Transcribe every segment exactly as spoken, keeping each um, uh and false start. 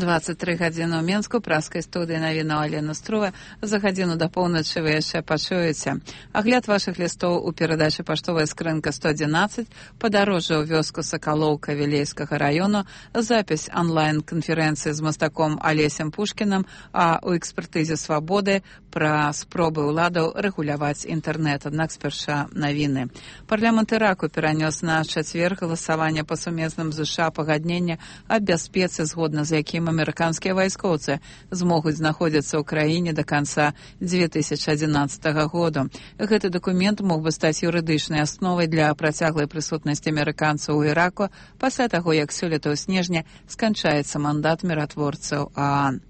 двадцать тры гадзіны ў Менску, праскай студыі навіна Алена Струва. За гадзіну да поўначы вы яшчэ пачуеце. Агляд вашых лістоў у перадачы «Паштовая скрынка сто адзінаццаць», падарожжа ў вёску Сакалоўка Вілейскага раёну, запіс онлайн-канферэнцыі з мастаком Алесем Пушкінам, а ў экспертызе «Свабоды» пра спробы ўладаў рэгуляваць інтэрнэт. Аднак спярша навіны. Парламент Іраку перанёс на чацвер галасаванне па сумесным ЗША пагаднення аб бяспецы, згодна з якім амерыканскія вайскоўцы змогуць знаходзіцца ў краіне да канца дзве тысячы адзінаццатага году. Гэты дакумент мог бы стаць юрыдычнай асновай для працяглай прысутнасці амерыканцаў у Іраку пасля таго, як сёлета ў снежні сканчаецца мандат міратворцаў ААН.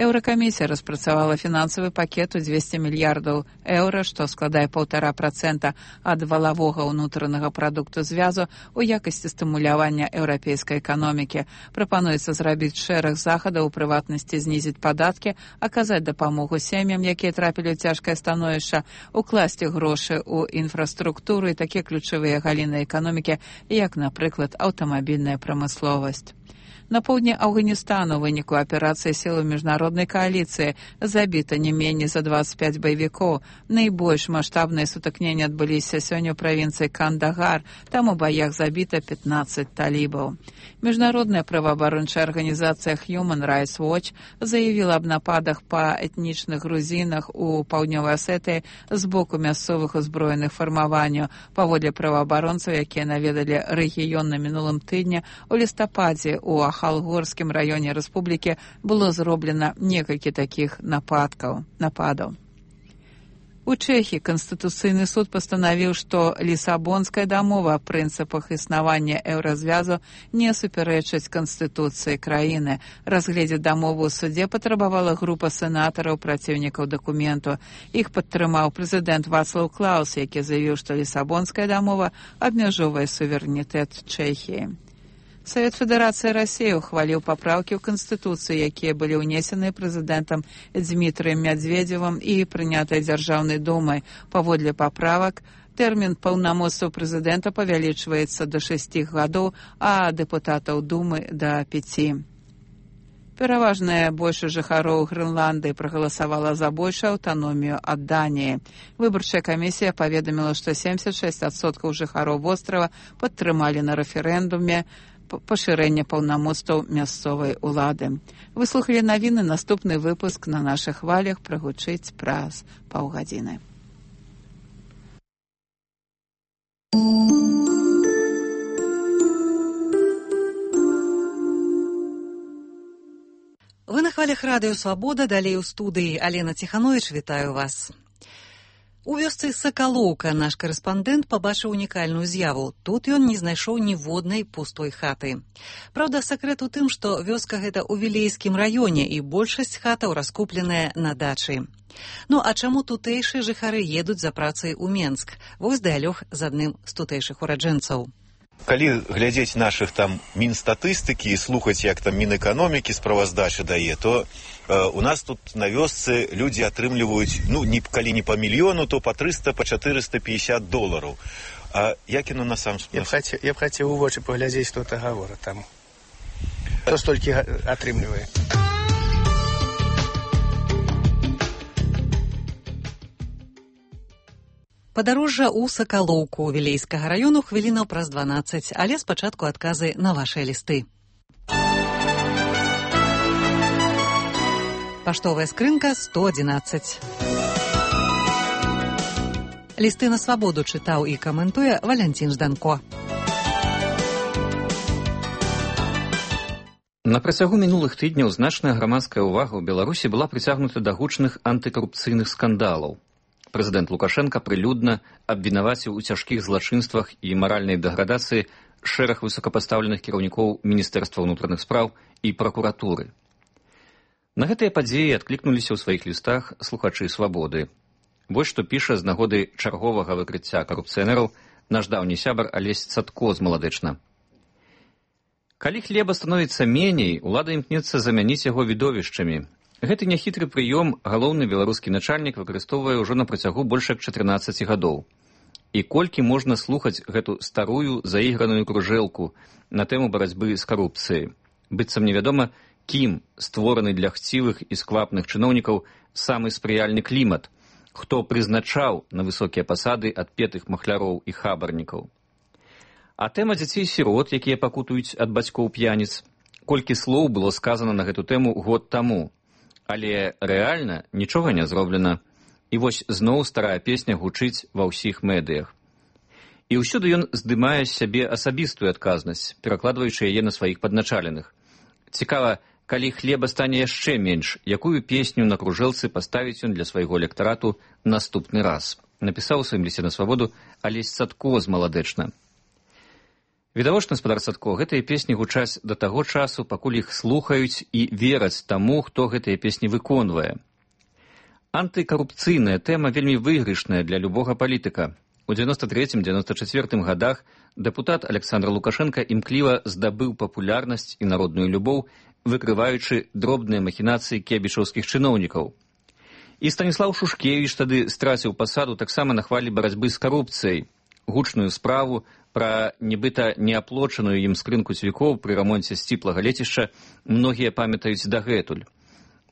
Еўракамісія распрацавала фінансавы пакет у дзвесце мільярдаў еўра, што складае паўтара працэнта ад валавога ўнутранага прадукту звязу ў якасці стымулявання еўрапейскай эканомікі. Прапануецца зрабіць шэраг захадаў, у прыватнасці знізіць падаткі, аказаць дапамогу сем'ям, якія трапілі ў цяжкае становішча, укласці грошы ў інфраструктуру і такія ключавыя галіны эканомікі, як, напрыклад, аўтамабільная прамысловасць. На поўдні Афганістану ў выніку аперацыі сілаў міжнароднай кааліцыі забіта не меней за дваццаць пяць баевікоў. Найбольш маштабныя сутыкненні адбыліся сёння ў правінцыі Кандагар, там у баях забіта пятнаццаць талібаў. Міжнародная праваабарончая арганізацыя Human Rights Watch заявіла аб нападах па этнічных грузінах у паўднёвай Асетыі з боку мясцовых узброеных фармаванняў. Паводле праваабаронцаў, якія наведалі рэгіён на мінулым тыдні, у лістападзе у Халгорскім раёне рэспублікі было зроблена некалькі такіх нападкаў, нападаў. У Чэхіі Канстытуцыйны суд пастанавіў, што Лісабонская дамова аб прынцыпах існавання еўразвязу не супярэчыць Канстытуцыі краіны. Разгледзець дамову ў судзе патрабавала група сенатараў праціўнікаў дакументу. Іх падтрымаў прэзідэнт Вацлаў Клаус, які заявіў, што Лісабонская дамова абмяжоўвае суверэнітэт Чэхіі. Савет Федэрацыі Расіі ухваліў папраўкі ў Канстытуцыі, якія былі ўнесены прэзідэнтам Дзмітрыем Мядзведзевым і прынятыя Дзяржаўнай думай. Паводле паправак, тэрмін паўнамоцтваў прэзідэнта павялічваецца да шасці гадоў, а дэпутатаў думы да пяці. Пераважная большасць жыхароў Грэнландыі прагаласавала за большую аўтаномію ад Даніі. Выбарчая камісія паведаміла, што семдзесят шэсць адсоткаў жыхароў вострава падтрымалі на рэферэндуме пашырэнне паўнамоцтваў мясцовай улады. Вы слухалі навіны, наступны выпуск на нашых хвалях прагучыць праз паўгадзіны. Вы на хвалях радыё «Свабода», далей у студыі Алена Ціхановіч, вітаю вас. У вёсцы Сакалоўка наш карэспандэнт пабачыў унікальную з'яву. Тут ён не знайшоў ніводнай пустой хаты. Праўда, сакрэт у тым, што вёска гэта ў Вілейскім раёне і большасць хатаў раскупленая на дачы. Ну, а чаму тутэйшыя жыхары едуць за працай у Менск? Вось дыялог з адным з тутэйшых ураджэнцаў. Калі глядзець нашых там мінстатыстыкі і слухаць, як там мінэканомікі справаздачы дае, то э, у нас тут на вёсцы людзі атрымліваюць, ну, не, калі не па мільёну, то па трыста, па чатырыста пятьдесят долараў. А як яно на сам... Я б хацеў, я б хацеў у вочы паглядзець, што это гавора там. Хто столькі атрымлівае? Падарожжа ў Сакалоўку Вілейскага раёну хвілінаў праз дванаццаць, але спачатку адказы на вашыя лісты. Паштовая скрынка сто адзінаццаць. Лісты на свабоду чытаў і каментуе Валянцін Жданко. На працягу мінулых тыдняў значная грамадская ўвага ў Беларусі была прыцягнута да гучных антыкарупцыйных скандалаў. Прэзідэнт Лукашенка прылюдна абвінаваціў у цяжкіх злачынствах і маральнай дэградацыі шэраг высокапастаўленых кіраўнікоў Міністэрства ўнутраных спраў і пракуратуры. На гэтыя падзеі адклікнуліся ў сваіх лістах слухачы «Свабоды». Вось што піша з нагоды чарговага выкрыцця карупцыянераў наш даўні сябар Алесь Цадко з Маладэчна. Калі хлеба становіцца меней, улада імкнецца замяніць яго відовішчамі. Гэты няхітры прыём галоўны беларускі начальнік выкарыстоўвае ўжо на працягу больш як чатырнаццаці гадоў. І колькі можна слухаць гэту старую заіграную кружэлку на тэму барацьбы з карупцыяй. Быццам невядома, кім створаны для хцівых і сквапных чыноўнікаў самы спрыяльны клімат, хто прызначаў на высокія пасады адпетых махляроў і хабарнікаў. А тэма дзяцей-сірот, якія пакутуюць ад бацькоў п'яніц, колькі слоў было сказана на гэту тэму год таму, але рэальна нічога не зроблена, і вось зноў старая песня гучыць ва ўсіх медыях. І ўсюды ён здымае з сябе асабістую адказнасць, перакладваючы яе на сваіх падначаленых. Цікава, калі хлеба стане яшчэ менш, якую песню на кружэлцы паставіць ён для свайго электарату наступны раз. Напісаў у сваім лісце на свабоду Алесь Садко з Маладэчна. Відавочна, спадар Садко, гэтыя песні гучаць да таго часу, пакуль іх слухаюць і вераць таму, хто гэтыя песні выконвае. Антыкарупцыйная тэма вельмі выйгрышная для любога палітыка. У дзевяноста трэцім — дзевяноста чацвёртым гадах дэпутат Александр Лукашенко імкліва здабыў папулярнасць і народную любоў, выкрываючы дробныя махінацыі кебічаўскіх чыноўнікаў. І Станіслаў Шушкевіч тады страціў пасаду таксама на хвалі барацьбы з карупцыяй. Гучную справу пра нібыта неаплочаную ім скрынку цвікоў пры рамонце сціплага лецішча многія памятаюць дагэтуль.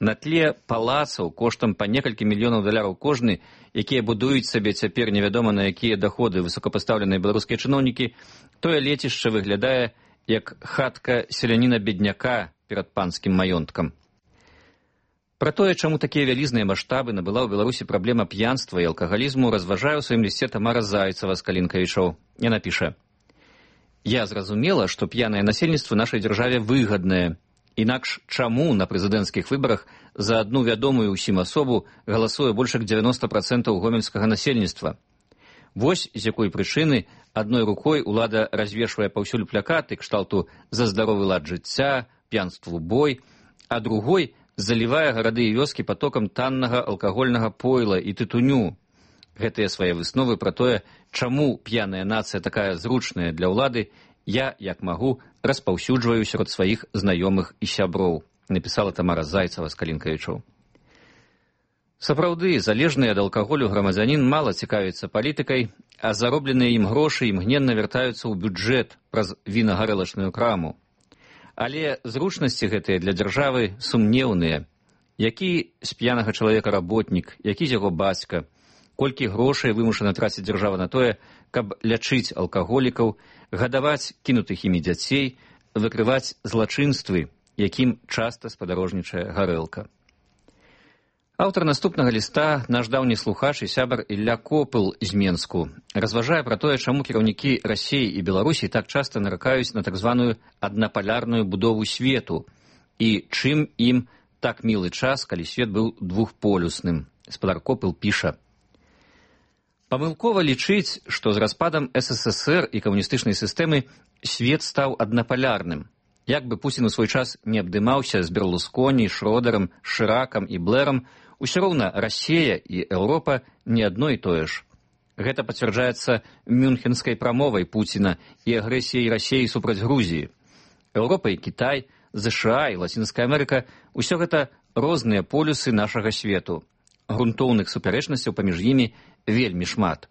На тле палацаў коштам па некалькі мільёнаў даляраў кожны, якія будуюць сабе цяпер невядома на якія даходы высокапастаўленыя беларускія чыноўнікі, тое лецішча выглядае як хатка селяніна-бедняка перад панскім маёнткам. Пра тое, чаму такія вялізныя маштабы набыла ў Беларусі праблема п'янства і алкагалізму, разважае ў сваім лісце Тамара Зайцева з Калінкавічоў. Яна піша: «Я зразумела, што п'янае насельніцтва нашай дзяржаве выгаднае. Інакш чаму на прэзідэнцкіх выбарах за адну вядомую ўсім асобу галасуе больш як дзевяноста працэнтаў гомельскага насельніцтва? Вось з якой прычыны адной рукой улада развешвае паўсюль плакаты кшталту «За здаровы лад жыцця», «П'янству бой», а другой залівае гарады і вёскі патокам таннага алкагольнага пойла і тытуню. Гэтыя свае высновы пра тое, чаму п'яная нацыя такая зручная для ўлады, я, як магу, распаўсюджваю сярод сваіх знаёмых і сяброў», напісала Тамара Зайцева з Калінкавічоў. Сапраўды, залежны ад алкаголю грамадзянін мала цікавіцца палітыкай, а заробленыя ім грошы імгненна вяртаюцца ў бюджэт праз вінагарэлачную краму. Але зручнасці гэтыя для дзяржавы сумнеўныя. Які з п'янага чалавека работнік, які з яго бацька, колькі грошай вымушана траціць дзяржава на тое, каб лячыць алкаголікаў, гадаваць кінутых імі дзяцей, выкрываць злачынствы, якім часта спадарожнічае гарэлка. Аўтар наступнага ліста, наш даўні слухач і сябар Ілля Копыл з Менску, разважае пра тое, чаму кіраўнікі Расіі і Беларусі так часта наракаюць на так званую аднапалярную будову свету і чым ім так мілы час, калі свет быў двухполюсным. Спадар Копыл піша: «Памылкова лічыць, што з распадам эс эс эс эр і камуністычнай сістэмы свет стаў аднапалярным. Як бы Пуцін у свой час не абдымаўся з Берлусконі, Шродерам, Шыракам і Блэрам, усё роўна Расія і Еўропа не адно і тое ж. Гэта пацвярджаецца мюнхенскай прамовай Пуціна і агрэсіяй Расіі супраць Грузіі. Еўропа і Кітай, ЗША і Лацінская Амерыка – усё гэта розныя полюсы нашага свету. Грунтоўных супярэчнасцяў паміж імі вельмі шмат.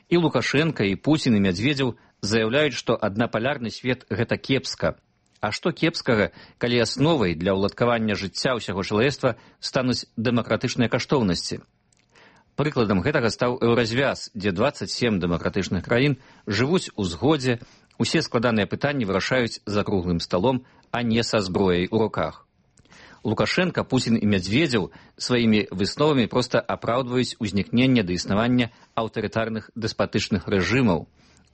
І Лукашенка, і Пуцін, і Мядзведзеў заяўляюць, што аднапалярны свет – гэта кепска. А што кепскага, калі асновай для ўладкавання жыцця ўсяго чалавецтва стануць дэмакратычныя каштоўнасці? Прыкладам гэтага стаў еўразвяз, дзе дваццаць сем дэмакратычных краін жывуць у згодзе, усе складаныя пытанні вырашаюць за круглым сталом, а не са зброяй у руках. Лукашенка, Пуцін і Мядзведзеў сваімі высновамі проста апраўдваюць узнікненне да існавання аўтарытарных дэспатычных рэжымаў.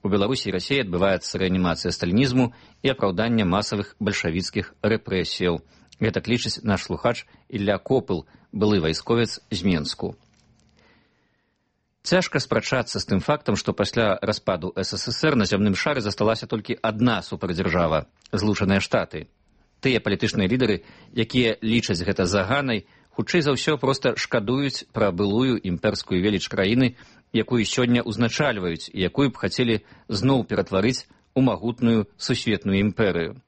У Беларусі і Расіі адбываецца рэанімацыя сталінізму і апраўданне масавых бальшавіцкіх рэпрэсіяў. Гэта лічыць наш слухач Ілля Копыл, былы вайсковец з Менску. Цяжка спрачацца з тым фактам, што пасля распаду эс эс эс эр на зямным шары засталася толькі адна супердзяржава – Злучаныя Штаты. Тыя палітычныя лідары, якія лічаць гэта заганай, хутчэй за ўсё проста шкадуюць пра былую імперскую веліч краіны, якую сёння ўзначальваюць і якую б хацелі зноў ператварыць у магутную сусветную імперыю.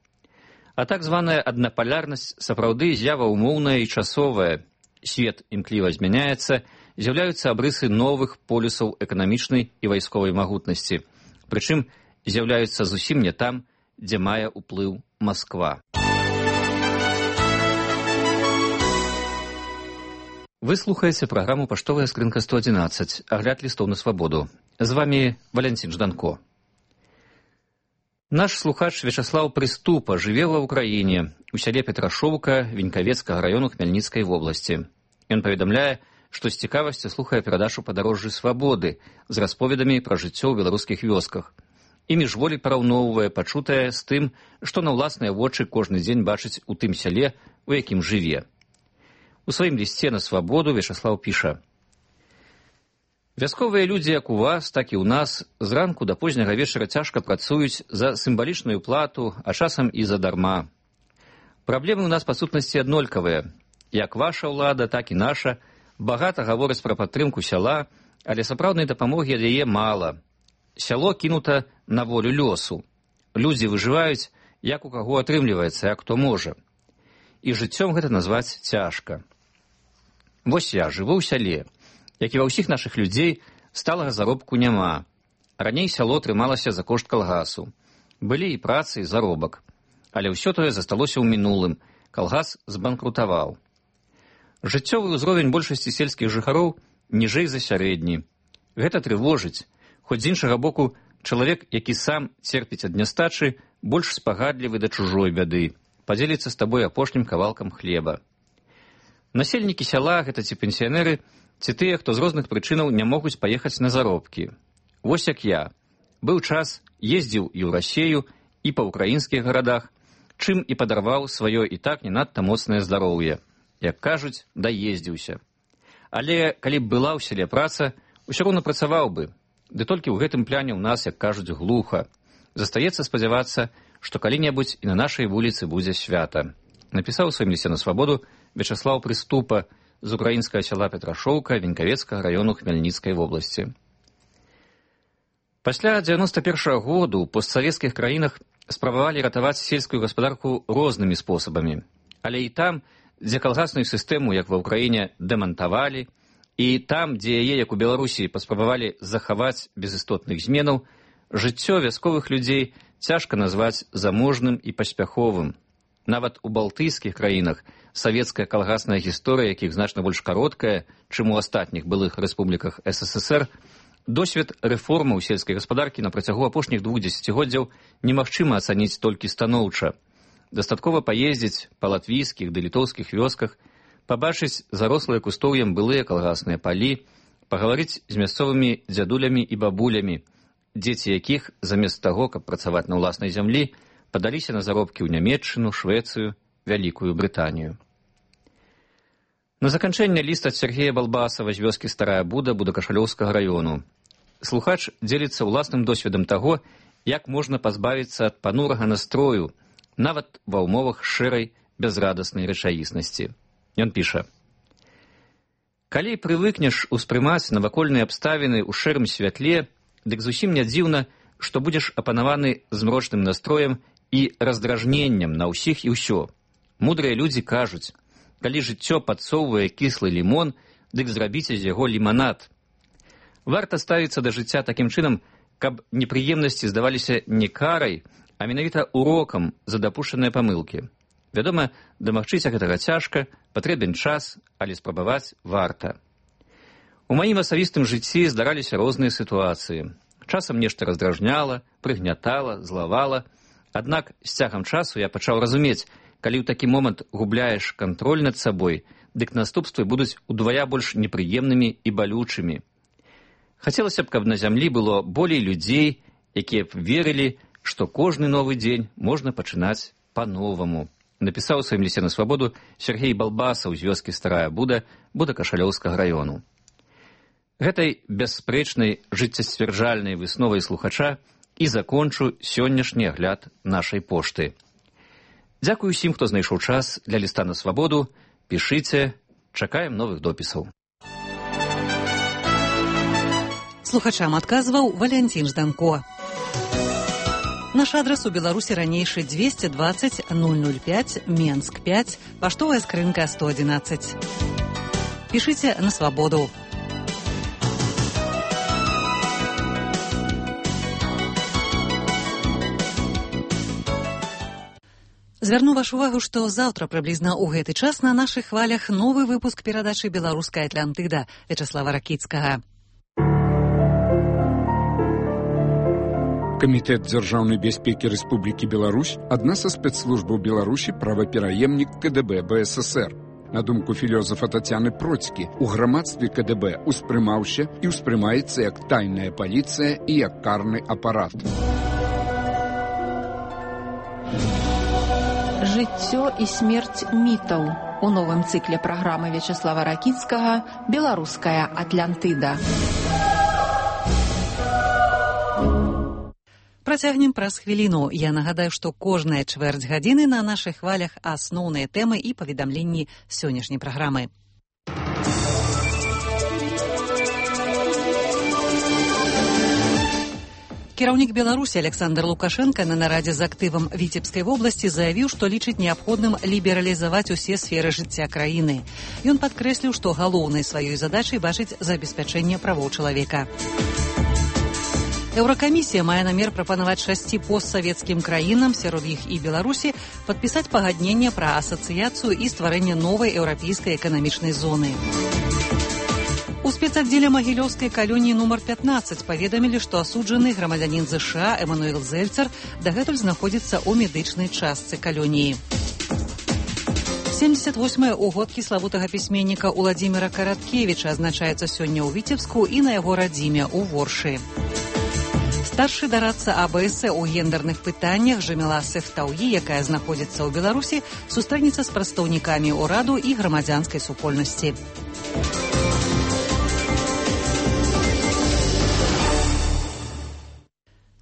А так званая аднапалярнасць сапраўды з'ява умоўная і часовая. Свет імкліва змяняецца, з'яўляюцца абрысы новых полюсаў эканамічнай і вайсковай магутнасці. Прычым з'яўляюцца зусім не там, дзе мае ўплыў Масква. Вы слухаеце праграму «Паштовая скрынка сто одиннадцать», агляд лістоў на свабоду. З вами Валентин Жданко. Наш слухач Вячаслаў Прыступа жыве ва ўкраіне, у сяле Петрашоўка Венькавецкага раёну Хмельніцкай вобласці. Ён паведамляе, што з цікавасцю слухае перадачу «Падарожжы свабоды» з расповедамі пра жыццё ў беларускіх вёсках. І міжволі параўноўвае пачутае з тым, што на ўласныя вочы кожны дзень бачыць у тым сяле, у якім жыве. У сваім лісце на свабоду Вячаслаў піша: «Вясковыя людзі, як у вас, так і ў нас, зранку да позняга вечара цяжка працуюць за сімвалічную плату, а часам і задарма. Праблемы ў нас па сутнасці аднолькавыя. Як ваша ўлада, так і наша багата гавораць пра падтрымку сяла, але сапраўднай дапамогі ад яе мала. Сяло кінута на волю лёсу. Людзі выжываюць, як у каго атрымліваецца, як хто можа. І жыццём гэта назваць цяжка. Вось я жыву ў сяле, як і ва ўсіх нашых людзей, сталага заробку няма. Раней сяло трымалася за кошт калгасу. Былі і працы, і заробак. Але ўсё тое засталося ў мінулым. Калгас збанкрутаваў. Жыццёвы ўзровень большасці сельскіх жыхароў ніжэй за сярэдні. Гэта трывожыць. Хоць з іншага боку, чалавек, які сам церпіць ад нястачы, больш спагадлівы да чужой бяды. Падзеліцца з табой апошнім кавалкам хлеба. Насельнікі сяла, гэта ці пенсіянеры, ці тыя, хто з розных прычынаў не могуць паехаць на заробкі. Вось як я. Быў час, ездзіў і ў Расею, і па ўкраінскіх гарадах, чым і падарваў сваё і так не надта моцнае здароўе. Як кажуць, даездзіўся. Але калі б была ў сяле праца, усё роўна працаваў бы. Ды толькі ў гэтым пляне ў нас, як кажуць, глуха. Застаецца спадзявацца, што калі-небудзь і на нашай вуліцы будзе свята. Напісаў у сваім лісце на свабоду Вячаслаў Прыступа з украінскага сяла Петрашоўка Венькавецкага раёну Хмельніцкай вобласці. Пасля дзевяноста першага году ў постсавецкіх краінах спрабавалі ратаваць сельскую гаспадарку рознымі спосабамі. Але і там, дзе калгасную сістэму, як ва ўкраіне, дэмантавалі, і там, дзе яе, як у Беларусі, паспрабавалі захаваць без істотных зменаў, жыццё вясковых людзей цяжка назваць заможным і паспяховым. Нават у балтыйскіх краінах савецкая калгасная гісторыя, якіх значна больш кароткая, чым у астатніх былых рэспубліках эс эс эс эр, досвед рэформаў сельскай гаспадаркі на працягу апошніх двух дзесяцігоддзяў немагчыма ацаніць толькі станоўча. Дастаткова паездзіць па латвійскіх ды літоўскіх вёсках, пабачыць зарослыя кустоўем былыя калгасныя палі, пагаварыць з мясцовымі дзядулямі і бабулямі, дзеці якіх, замест таго, каб працаваць на ўласнай зямлі, падаліся на заробкі ў Нямецчыну, Швецыю, Вялікую Брытанію. На заканчэнне ліст ад Сергея Балбасава з вёскі Старая Буда Будакашалёўскага раёну. Слухач дзеліцца ўласным досведам таго, як можна пазбавіцца ад панурага настрою, нават ва ўмовах шэрай, бязрадаснай рэчаіснасці. Ён піша: «Калі прывыкнеш успрымаць навакольныя абставіны ў шэрым святле, дык зусім не дзіўна, што будзеш апанаваны змрочным настроем і раздражненнем на ўсіх і ўсё. Мудрыя людзі кажуць, калі жыццё падсоўвае кіслы лімон, дык зрабіце з яго ліманад. Варта ставіцца да жыцця такім чынам, каб непрыемнасці здаваліся не карай, а менавіта урокам за дапушчаныя памылкі. Вядома, дамагчыся гэтага цяжка, патрэбен час, але спрабаваць варта. У маім асабістым жыцці здараліся розныя сітуацыі. Часам нешта раздражняла, прыгнятала, злавала. Аднак з цягам часу я пачаў разумець, калі ў такі момант губляеш кантроль над сабой, дык наступствы будуць удвая больш непрыемнымі і балючымі. Хацелася б, каб на зямлі было болей людзей, якія б верылі, што кожны новы дзень можна пачынаць па-новаму. Напісаў у сваім лісце на свабоду Сергей Балбасаў з вёскі Старая Буда Будакашалёўскага раёну. Гэтай бясспрэчнай жыццесцвярджальнай высновай слухача і закончу сённяшні агляд нашай пошты. Дзякую усім, хто знайшоў час для ліста на свабоду. Пішыце, чакаем новых допісаў. Слухачам адказваў Валентин Жданко. Наш адрес у Беларусі ранейшы двести двадцать ноль ноль пять, Менск пять, паштовая скрынка сто одиннадцать. Пішыце на свабоду. Звярну вашу увагу, што заўтра прыблізна ў гэты час на нашых хвалях новы выпуск перадачы «Беларуская Атлантыда» Вячеслава Ракіцкага. Камітэт дзяржаўнай бяспекі Рэспублікі Беларусь — адна са спецслужбаў Беларусі, правапераемнік КДБ БССР. На думку філёзафа Тацяны Процькі, у грамадстве КДБ успрымаўся і ўспрымаецца як тайная паліцыя і як карны апарат. Жыццё і смерць мітаў у новым цыкле праграмы Вячеслава Ракіцкага «Беларуская Атлантыда». Працягнем праз хвіліну. Я нагадаю, што кожная чвэрць гадзіны на нашых хвалях асноўныя тэмы і паведамленні сённяшняй праграмы. Кіраўнік Беларусі Александр Лукашенко на нарадзе з актывам Віцебскай вобласці заявіў, што лічыць неабходным лібералізаваць усе сферы жыцця краіны. Ён падкрэсліў, што галоўнай сваёй задачай бачыць забеспячэнне правоў чалавека. Еўракамісія мае намер прапанаваць шасці постсавецкім краінам, сярод іх і Беларусі, падпісаць пагадненне пра асацыяцыю і стварэнне новай еўрапейскай эканамічнай зоны. У спецаддзеле магілёўскай калоніі нумар пятнаццаць паведамілі, што асуджаны грамадзянін ЗША Эмануэл Зельцер дагэтуль знаходзіцца ў медычнай частцы калоніі. семьдесят восьмыя ўгодкі славутага пісьменніка Уладзіміра Караткевіча адзначаецца сёння ў Віцебску і на яго радзіме ў Воршы. Старшы дарадца АБС у гендерных пытаннях Жаміла Сефтауі, якая знаходзіцца ў Беларусі, сустрэнецца з прадстаўнікамі ўраду і грамадзянскай супольнасці.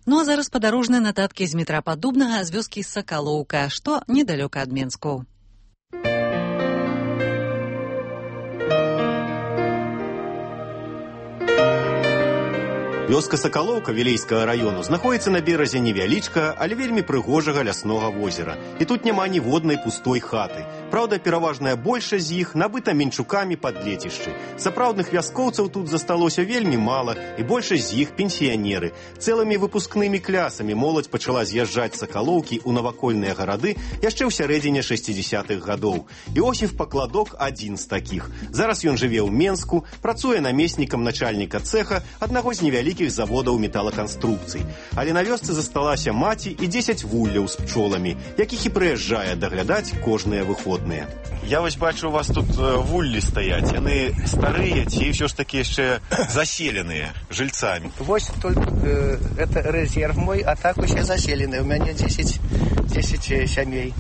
Ну а зараз падарожныя нататкі з метра Паддубнага з вёскі Сакалоўка, што недалёка ад Менску. Вёска Сакалоўка Вілейскага раёну знаходіцца на беразе невялічкага, але вельмі прыгожага ляснога возера. І тут няма ніводнай пустой хаты. Праўда, пераважная большасць з іх набыта менчукамі пад лецішчы. Сапраўдных вяскоўцаў тут засталося вельмі мала, і большасць з іх пенсіянеры. Цэлымі выпускнымі клясамі моладзь пачала з'язджаць з Сакалоўкі ў навакольныя гарады яшчэ ў сярэдзіне шэсцідзесятых гадоў. Іосіф Пакладок адзін з такіх. Зараз ён жыве ў Менску, працуе намеснікам начальніка цэха аднаго з невялікіх заводаў металаканструкцый. Але на вёсцы засталася маці і дзесяць вулляў з пчоламі, якіх і прыязджае даглядаць кожныя выходныя. Я вось бачу, у вас тут вуллі стаяць. Яны старыя ці ўсё ж такі яшчэ заселеныя жильцамі? Вось только э, это резерв мой, а так усе заселены. У мяне дзесяць сямей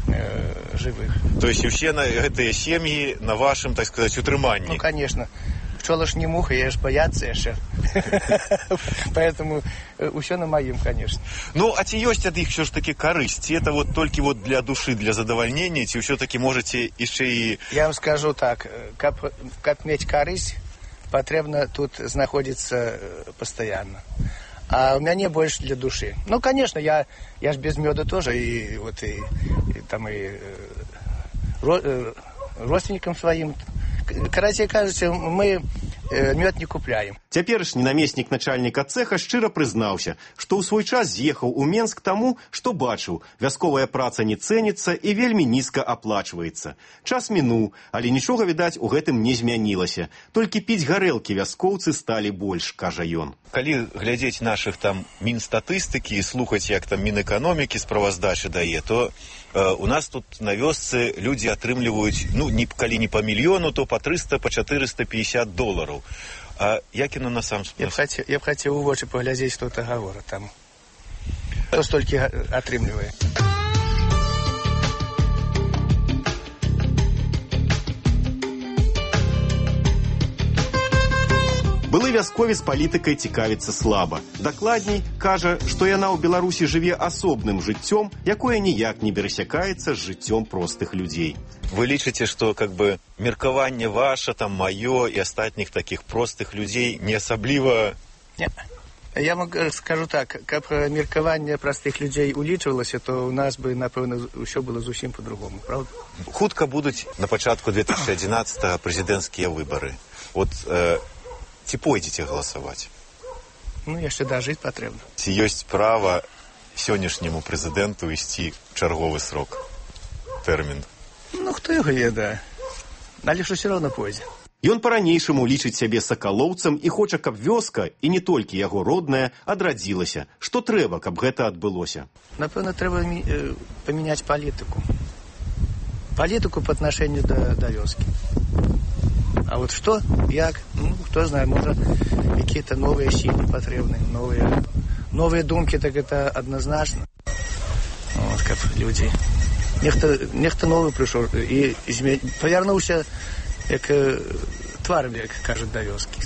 э, живых. То есть усе на гэтыя сем'і на вашым, так сказать, утрыманні? Ну, конечно. Пчола ж не муха, я ж бояться яшчэ. Поэтому ўсё на маім, конечно. Ну, а ці ёсць ад іх ўсё ж такі карысць? Ці это вот толькі вот для душы, для задавальнення, ці ўсё-таки можете яшчэ і... Я вам скажу так, каб, каб мець карысць, патрэбна тут знаходзіцца пастаянна. А у мяне больш для душы. Ну, конечно, я, я ж без мёда тоже, и вот и, и там и ро, родственникам своим. Карацей кажучи, мы э, мёд не купляем. Цяперашні намеснік начальніка цэха шчыра прызнаўся, што ў свой час з'ехаў у Менск таму, што бачыў, вясковая праца не цэніцца і вельмі нізка аплачваецца. Час мінуў, але нічога, відаць, у гэтым не змянілася. Толькі піць гарэлкі вяскоўцы сталі больш, кажа ён. Калі глядзець нашых там мінстатыстыкі і слухаць, як там Мінэканомікі справаздачы дае, то э, у нас тут на вёсцы людзі атрымліваюць, ну, не, калі не па мільёну, то па трыста, па чатырыста пятьдесят долараў. А як яно на сам Я б хацеў, я б хацеў у вочы паглядзець, што гэта гавора там. Хто столькі атрымлівае? Былы вясковец палітыкай цікавіцца слаба. Дакладней, кажа, што яна ў Беларусі жыве асобным жыццём, якое ніяк не перасякаецца з жыццём простых людзей. Вы лічыце, што как бы меркаванне ваше, там маё і астатніх такіх простых людзей не асабліва... Не. Я вам скажу так, каб меркаванне простых людзей улічвалася, то у нас бы, напэўна, ўсё было зусім по-другому, правда? Хутка будуць на пачатку две тысячи одиннадцатого прэзідэнцкія выбары. Вот э, ці пойдзеце галасаваць? Ну, яшчэ дажыць патрэбна. Ці ёсць права сённяшняму прэзідэнту ісці чарговы срок, тэрмін? Ну, хто яго ведае. Але ж усё роўна пойдзе. Ён па-ранейшаму лічыць сябе сакалоўцам і хоча, каб вёска, і не толькі яго родная, адрадзілася. Што трэба, каб гэта адбылося? Напэўна, трэба э, памяняць палітыку. Палітыку па аднашэнню да, да вёскі. А вот што, як, ну, хто знае, можа, якія-то новыя сілы патрэбны, новыя, новыя думкі, так гэта адназначна. Вот, каб людзі... Нехта, нехта новы прыйшоў і зме... павярнуўся, як э, тварам, як кажуць, да вёскі.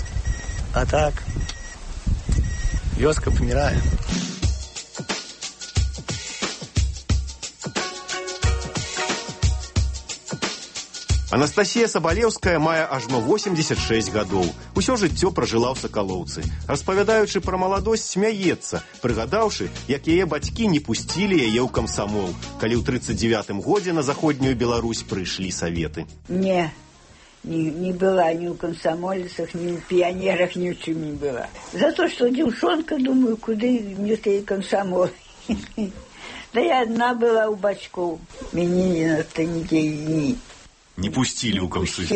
А так, вёска памірае. Анастасія Сабалеўская мае ажно восемьдесят шесть гадоў. Усё жыццё пражыла ў Сакалоўцы. Распавядаючы пра маладосць, смяецца, прыгадаўшы, як яе бацькі не пусцілі яе ў камсамол, калі ў тридцать девятым годзе на заходнюю Беларусь прыйшлі саветы. Не, не, не была ни у комсомольцах, ни у пионерах, ни в чем не была. За то, что девчонка, думаю, куда мне ты комсомол. Да я одна была у бачков. Меня на нигде не... Не пусцілі ў камсы.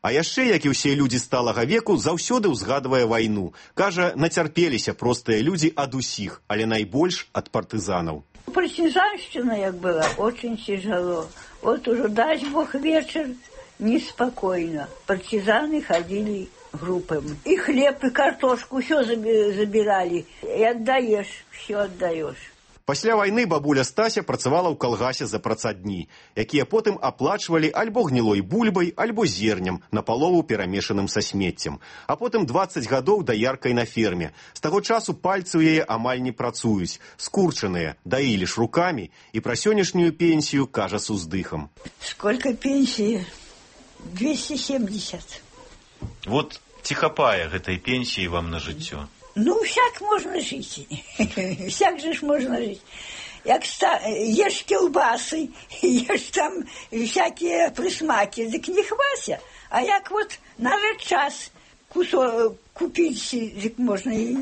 А яшчэ, як і ўсе людзі сталага веку, заўсёды ўзгадвае вайну. Кажа, нацярпеліся простыя людзі ад усіх, але найбольш ад партызанаў. Партизанщина, як была, очень тяжело. Вот уже, дай Бог, вечер неспокойно. Партизаны ходили группами. И хлеб, и картошку, все забирали. И отдаешь, все отдаешь. Пасля вайны бабуля Стася працавала ў калгасе за працадні, якія потым аплачвалі альбо гнілой бульбай, альбо зернем, напалову перамешаным са смеццем. А потым двадцать гадоў даяркай на ферме. З таго часу пальцы ў яе амаль не працуюць, скурчаныя, даілі ж рукамі, і пра сённяшнюю пенсію кажа с уздыхам. Сколько пенсии? двести семьдесят. Вот ці хапае гэтай пенсіі вам на жыццё? Ну, всяк можно жить. Всяк же ж можно жить. Як ста... ешь колбасы, ешь там всякие присмаки, так не хвася. А як вот надо час кусок купить, так можно и,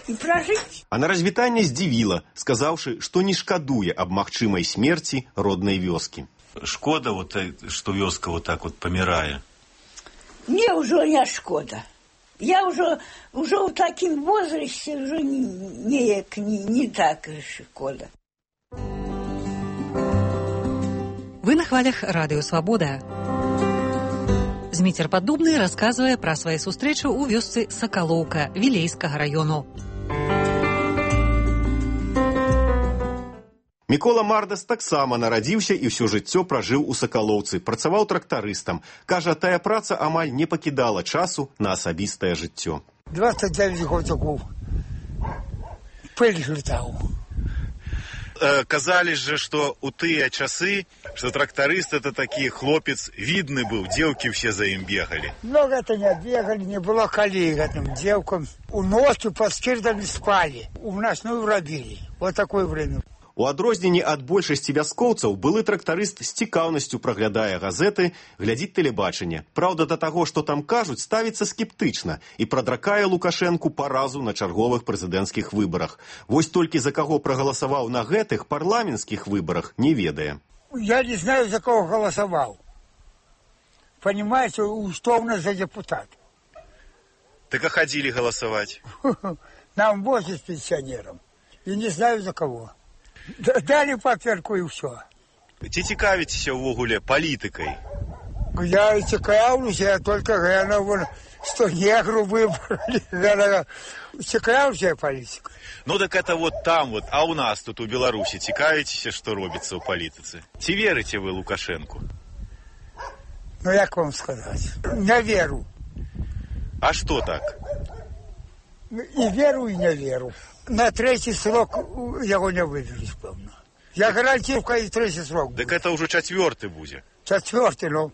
и прожить. А на развітанне здзівіла, сказаўшы, што не шкадуе аб магчымай смерці роднай вёскі. Шкода, вот, што вёска вот так вот памірае? Мне уже не шкода. Я уже, уже в таком возрасте уже не, не, не, не так шкода. Вы на хвалях Радыё Свабода. Зміцер Паддубны расказвае пра свае сустрэчы ў вёсцы Сакалоўка Вілейскага раёну. Мікола Мардас таксама нарадзіўся і ўсё жыццё пражыў у Сакалоўцы, працаваў трактарыстам. Кажа, тая праца амаль не пакідала часу на асабістае жыццё. двадцать девять годиков. Пыль летал. Казалі же, што у тыя часы, што трактарыст это такі хлопец видны быў, дзеўкі все за ім бегалі. Много это не бегали, не было колей этим девкам. У ночи под скирдами спали, у нас ну робили. Вот такое время. У адрозненні ад большасці вяскоўцаў былы трактарыст з цікаўнасцю праглядае газеты, глядзіць тэлебачанне. Праўда, да таго, што там кажуць, ставіцца скептычна і прадракае Лукашэнку паразу на чарговых прэзідэнцкіх выбарах. Вось толькі за каго прагаласаваў на гэтых парламенцкіх выбарах, не ведае. Я не знаю, за кого голосовал. Понимаете, что у нас за депутат. Так а ходили голосовать? Нам возят пенсионерам. И не знаю, за кого. Дали паперку и все. Ці цікавіцеся ўвогуле палітыкай? Я и цікавлюсь, я только я вон, что негру выбрали. Цікавлюсь я политикой. Ну так это вот там вот, а у нас тут у Беларусі цікавіцеся, што робіцца ў палітыцы? Ці верыце вы Лукашэнку? Ну як вам сказать? Не веру. А что так? И веру, и не веру. На третий срок его не выберешь, певно. Я гарантирую, и третий срок будет. Так это уже четвертый будет. Четвертый, ну.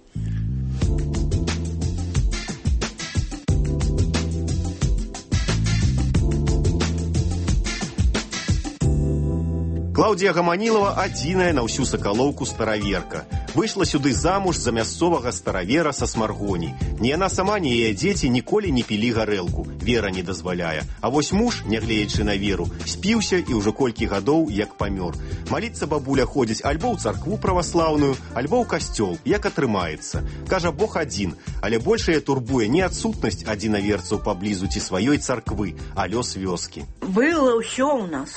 Клаўдія Гаманілава адзіная на ўсю Сакалоўку стараверка. Выйшла сюды замуж за мясцовага старавера са Смаргоні. Ні яна сама, ні яе дзеці ніколі не пілі гарэлку. Вера не дазваляе. А вось муж, нягледзячы на веру, спіўся і ўжо колькі гадоў як памёр. Маліцца бабуля ходзіць альбо ў царкву праваслаўную, альбо ў касцёл, як атрымаецца. Кажа, Бог адзін, але большая турбуе не адсутнасць адзінаверцаў паблізу ці сваёй царквы, а лёс вёскі. Было ўсё ў нас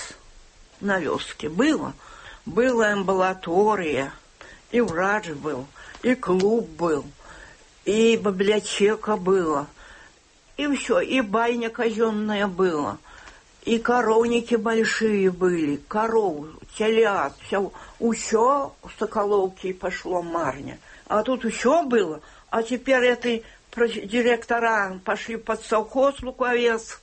на вёске, было. Была амбулатория, и врач был, и клуб был, и библиотека была, и все, и баня казенная была, и коровники большие были, коров, телят, все, все в Соколовке пошло марня. А тут все было, а теперь эти директора пошли под совхоз Луковец.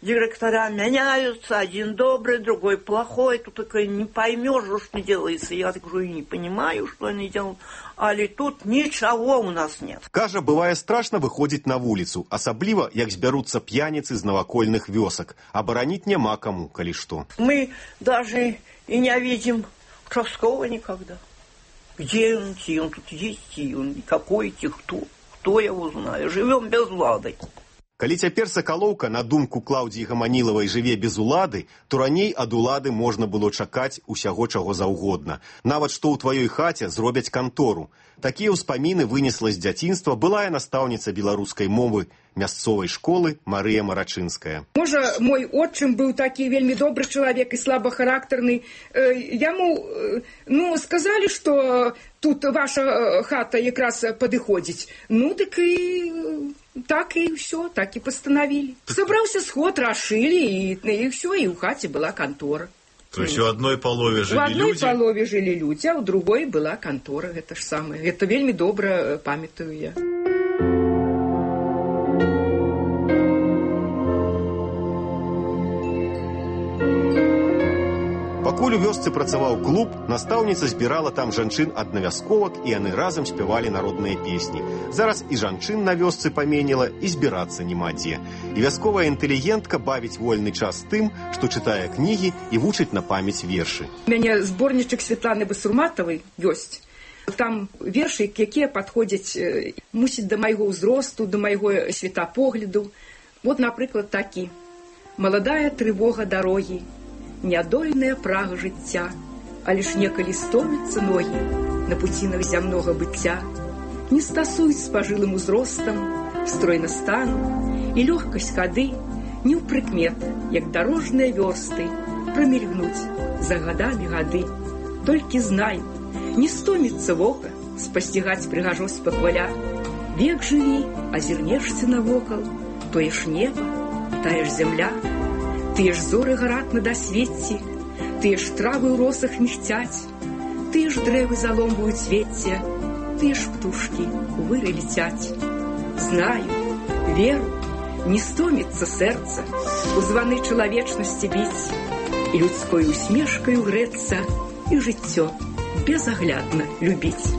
Директора меняются, один добрый, другой плохой. Тут такой не поймешь, что делается. Я так говорю, не понимаю, что они делают. Але тут ничего у нас нет. Кажа, бывае страшно выходзіць на вуліцу, асабліва, як збяруцца п'яніцы з навакольных вёсак. Абараніць няма каму, калі што. Мы даже и не видим участкового никогда. Где он, и он тут есть, и он какой, и кто. Кто его знает. Живем без лады. Калі цяпер Сакалоўка, на думку Клаўдзіі Гаманілавай, жыве без улады, то раней ад улады можна было чакаць усяго чаго заўгодна. Нават што ў тваёй хаце зробяць кантору. Такія ўспаміны вынесла з дзяцінства былая настаўніца беларускай мовы мясцовай школы Марыя Марачынская. Можа, мой отчым быў такі вельмі добры чалавек і слабахарактарны. Яму, ну, сказалі, што тут ваша хата якраз падыходзіць. Ну, дык і... Так и все, так и постановили. Собрался сход, расшили, и, и все, и у хати была контора. То есть у одной полове жили люди? У одной люди? полове жили люди, а у другой была контора. Это ж самое. Это вельми добро памятаю я. Пакуль у вёсцы працаваў клуб, настаўніца збірала там жанчын аднавязковак, і яны разам спявалі народныя песні. Зараз і жанчын на вёсцы паменела, і збірацца няма дзе. І вясковая інтэлігентка бавіць вольны час тым, што чытае кнігі і вучыць на памяць вершы. У мяне зборнічак Святланы Басурматавай ёсць. Там вершы, якія падходзяць, мусіць, да майго ўзросту, да майго светапогляду. Вот, напрыклад, такі. «Маладая трывога дарогі, нядольная прага жыцця, але ж некалі стомяцца ногі на пуцінах зямнога быцця, не стасуюць з пажылым узростам, стройна стану, і лёгкасць хады не ў прыкмет, як дарожныя вёрсты, прамільгнуць за гадамі гады. Толькі знай, не стоміцца вока спасцігаць прыгажосць пахваля. Век жыві, азірнешся навокал, тое ж неба, тая ж зямля. Тыя ж зоры гараць на дасвецці, тыя ж травы ў росах мігцяць, тыя ж дрэвы заломваюць вецце, тыя ж птушкі у выры летяць. Знаю, веру, не стоміцца сэрца у званы чалавечнасці біць, і людской усмешкаю грэцца, і жыццё безаглядна любіць.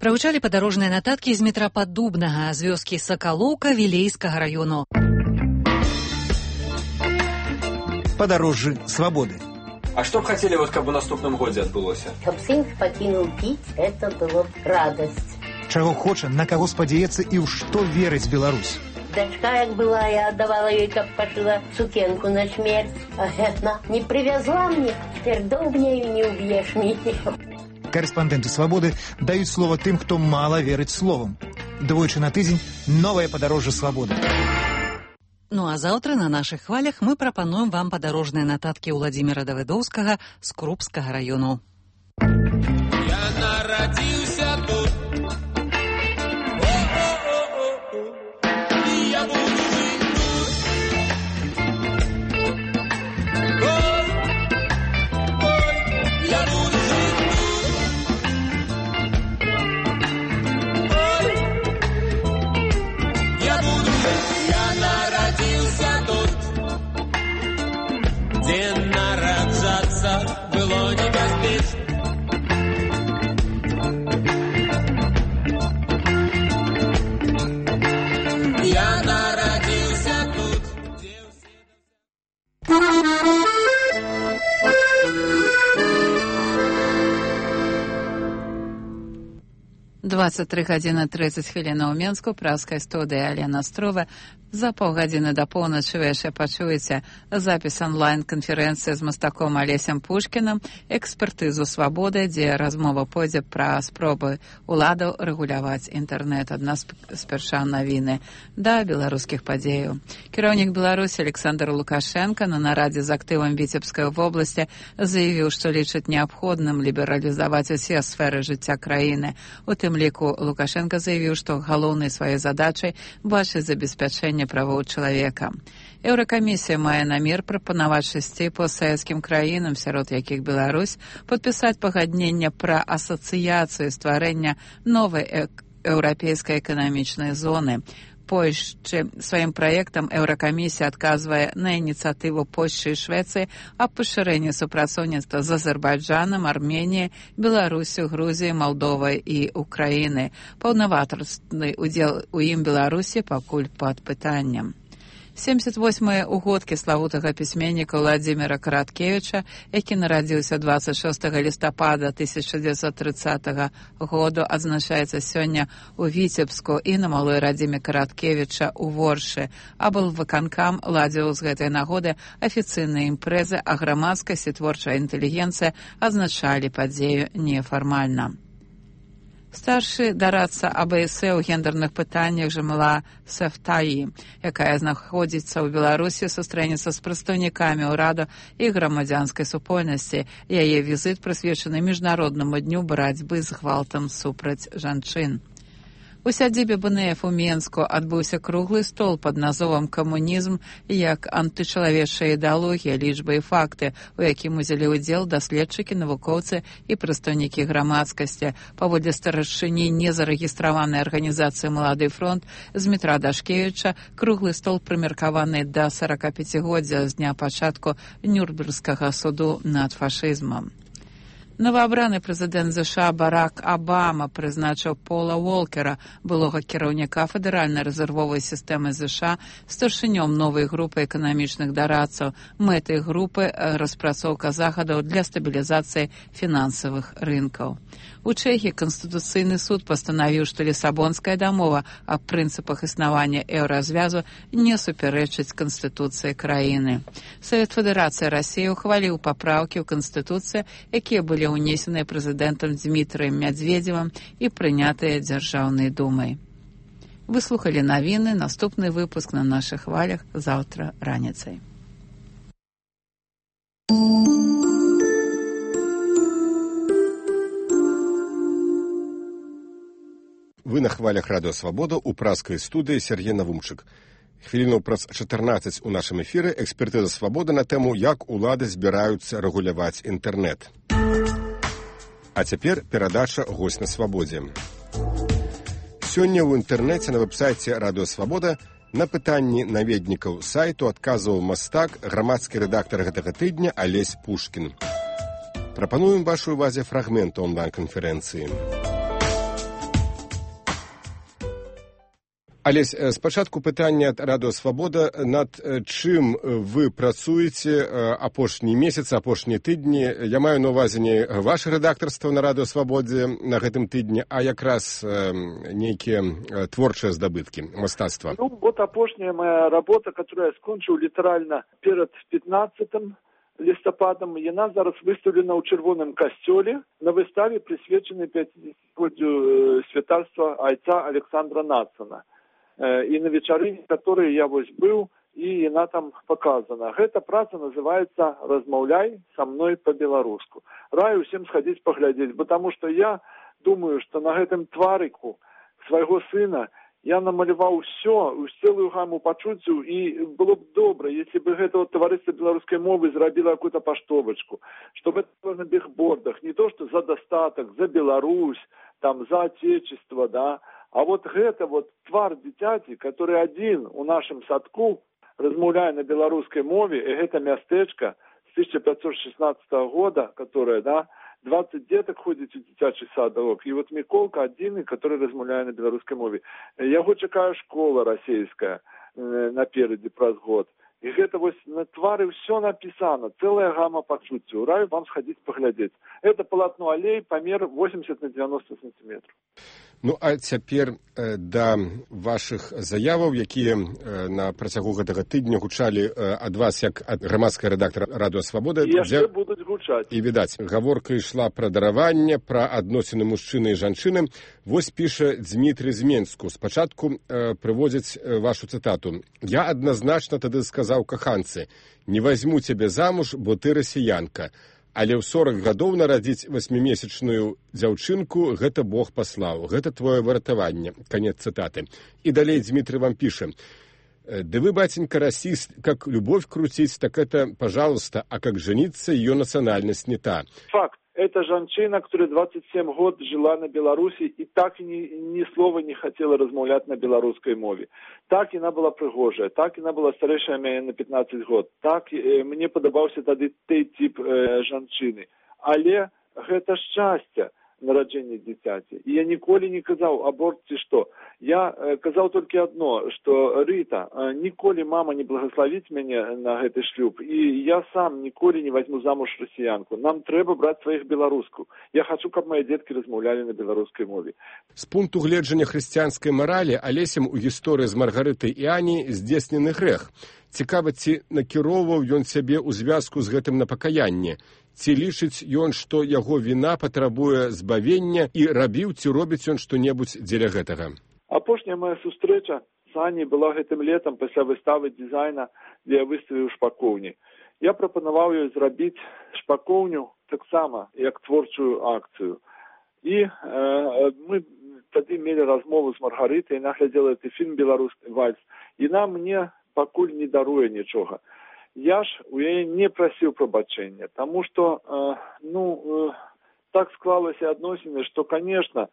Прагучалі падарожныя нататкі з метра Паддубнага, з вёскі Сакалоўка Вілейскага раёну. Падарожжы свабоды. А што б хацелі, вот, каб у наступным годзе адбылося? Каб сын пакінуў піць, это было б радасць. Чаго хоча, на каго спадзяецца і ў што верыць Беларусь. Дачка, як была, я аддавала ёй, каб пашыла сукенку на смерць. А яна не прывязла мне, цяпер доўбняю не ўб'еш мяне. Корэспандэнты свабоды даюць слова тым, хто мала верыць словам. Двойчы на тыдзень новае падарожжа свабоды. Ну а заўтра на нашых хвалях мы прапануем вам падарожныя нататкі Уладзіміра Давыдоўскага з Крупскага раёну. Я нарадзіўся тут. Дзе нараджацца было небяспечна. двадцать три гадзіны тридцать хвілінаў у Менску, праскай студыі Алена Строва. За паўгадзіны да поўначы вы яшчэ пачуеце запіс онлайн-канферэнцыі з мастаком Алесем Пушкінам, экспертызу «Свабоды», дзе размова пойдзе пра спробы уладаў рэгуляваць інтэрнэт. Адна спярша навіны да беларускіх падзеяў. Кіраўнік Беларусі Александр Лукашенко на нарадзе з актывам Віцебскай вобласці заявіў, што лічыць неабходным лібералізаваць усе сферы жыцця краіны. У тым ліку Лукашенко заявіў, што галоўнай сваёй задачай бачыць забеспячэнне правоў чалавека. Еўракамісія мае намер прапанаваць шасці постсавецкім краінам, сярод якіх Беларусь, падпісаць пагадненне пра асацыяцыю стварэння новай еўрапейскай эканамічнай зоны. Польшчы сваім праектам Еўракамісія адказвае на ініцыятыву Польшчы і Швецыі аб пашырэнні супрацоўніцтва з Азербайджанам, Арменіяй, Беларусю, Грузіяй, Малдовай і Украінай. Паўнавартасны удзел у ім Беларусі пакуль пад пытаннем. семьдесят восьмыя угодкі славутага пісьменніка Владзіміра Караткевіча, які нарадзіўся двадцать шостага лістапада тысяча дзевяцьсот трыццатага году, адзначаецца сёння ў Віцебску і на малой радзіме Караткевіча ў Воршы. Аблвыканкам ладзіў з гэтай нагоды афіцыйныя імпрэзы, а грамадскасць і творчая інтэлігенцыя адзначалі падзею нефармальна. Старшы дарадца АБС ў гендерных пытаннях Жамала Сефтаі, якая знаходзіцца ў Беларусі, сустрэнецца з прадстаўнікамі ўраду і грамадзянскай супольнасці. Яе візіт прысвечаны міжнароднаму дню барацьбы з гвалтам супраць жанчын. У сядзібе БНФ у Менску адбыўся круглы стол пад назовам «Камунізм як антычалавечая ідэалогія, лічбы і факты», у якім узялі ўдзел даследчыкі, навукоўцы і прадстаўнікі грамадскасці. Паводле старшыні незарэгістраванай арганізацыі «Малады фронт» Змітра Дашкевіча, круглы стол прымеркаваны да сорокапяцігоддзя з дня пачатку Нюрнбергскага суду над фашызмам. Новаабраны прэзідэнт ЗША Барак Абама прызначыў Пола Уолкера, былога кіраўніка федэральнай рэзервовай сістэмы ЗША, старшынём новай групы эканамічных дарадцаў. Мэтай групы распрацоўка захадаў для стабілізацыі фінансавых рынкаў. У Чэхіі Канстытуцыйны суд пастанавіў, што Лісабонская дамова аб прынцыпах існавання еўразвязу не супярэчыць Канстытуцыі краіны. Савет Федэрацыі Расіі ухваліў папраўкі ў Канстытуцыі, якія былі унесеныя прэзідэнтам Дзмітрыем Мядзведзевым і прынятыя Дзяржаўнай думай. Вы слухалі навіны, наступны выпуск на нашых хвалях заўтра раніцай. Вы на хвалях Радыё Свабода ў праскай студыі Сергей Навумчык. Хвілінаў праз чатырнаццаць у нашым эфіры экспертыза «Свабода» на тэму, як улады збіраюцца рэгуляваць інтэрнэт. А цяпер перадача «Госць на свабодзе». Сёння ў інтэрнэце на вэб-сайце Радыё Свабода на пытанні наведнікаў сайту адказваў мастак, грамадскі рэдактар гэтага тыдня Алесь Пушкін. Прапануем вашай увазе фрагмент онлайн-канферэнцыі. Алесь, спачатку пытання ад Радыё Свабода, над чым вы працуеце апошні месяц, апошнія тыдні. Я маю на ўвазе не ваше рэдактарства на Радыё Свабодзе на гэтым тыдні, а якраз нейкія творчыя здабыткі мастацтва. Ну, вот апошняя моя работа, которую я скончыў літаральна перад пятнаццатым лістападам, яна зараз выстаўлена ў чырвоным касцёле на выставе, прысвечанай пяцідзесяцігоддзю святарства айца Александра Нацана. І на вечарыне, которые я вось быў, і яна там показана. Гэта праца называецца «Размаўляй са мной по-беларуску». Раю усім схадзіць паглядзець, потому что я думаю, что на гэтым тварыку свайго сына я намаляваў усё, цэлую гаму пачуццяў, і было б добра, если бы гэта вот таварыства беларускай мовы зрабіла какую-то паштовачку, чтобы это было на бігбордах, не то, что за дастатак, за Беларусь, там, за отечество, да, а вот гэта вот твар дзіцяці, который адзін у нашым садку размаўляе на беларускай мове, і гэта мястэчка з тысяча пятьсот шестнадцатого года, которая, да, двадцать деток ходзіць у дзіцячы садок, і вот Міколка адзіны, который размаўляе на беларускай мове. Яго чакае школа расейская наперадзе праз год. І гэта вось на твары ўсё напісана, цэлая гама пачуццяў. Раю вам схадзіць паглядзець. Это палатно алей, памер восемьдесят на девяносто сантиметров. Ну, а цяпер э, да вашых заяваў, якія э, на працягу гэтага тыдня гучалі э, ад вас, як ад грамадскага рэдактара Радыё Свабода. І яшчэ будуць гучаць. І, відаць, гаворка ішла пра дараванне, пра адносіны мужчыны і жанчыны. Вось піша Дзмітрый з Менску. Спачатку э, прыводзіць э, вашу цытату. «Я адназначна тады сказаў каханцы, не возьму цябе замуж, бо ты расіянка. Але ў сорак гадоў нарадзіць васьмімесячную дзяўчынку гэта Бог паслаў. Гэта твоё выратаванне». Канец цытаты. І далей Дзмітрый вам піша. «Да вы, батенька, расист, как любовь крутить, так это, пожалуйста, а как жениться, ее национальность не та». Факт. Это женщина, которая двадцать семь год жила на Беларуси и так ни, ни слова не хотела размовлять на белорусской мове. Так она была пригожая, так она была старейшая меня на пятнадцать год. Так э, мне подобался тогда той тип э, женщины. Але это счастье нараджэння дзіцяці. І я ніколі не казаў аборт ці што. Я э, казаў толькі адно, што Рыта, э, ніколі мама не благословіць мяне на гэты шлюб, і я сам ніколі не возьму замуж расіянку. Нам трэба браць сваіх беларуску. Я хачу, каб мае дзеткі размаўлялі на беларускай мове. З пункту гледжання хрысціянскай маралі Алесем у гісторыі з Маргарытай і Ані здзейснены грэх. Цікава, ці накіроўваў ён сябе ў звязку з гэтым на пакаянне? Ці лічыць ён, што яго віна патрабуе збавення і рабіў, ці робіць ён што-небудзь дзеля гэтага? Апошняя моя сустрэча з Аняй была гэтым летам пасля выставы дызайна, дзе я выставіў шпакоўні. Я прапанаваў ёй зрабіць шпакоўню таксама як творчую акцыю. І э, мы тады мелі размову з Маргарытай, яна глядзела гэты фільм «Беларускі вальс», і яна мне пакуль не даруе нічога. Я ж у яе не прасіў прабачэння, таму што, э, ну, э, так склалася адносіны, што, конечно,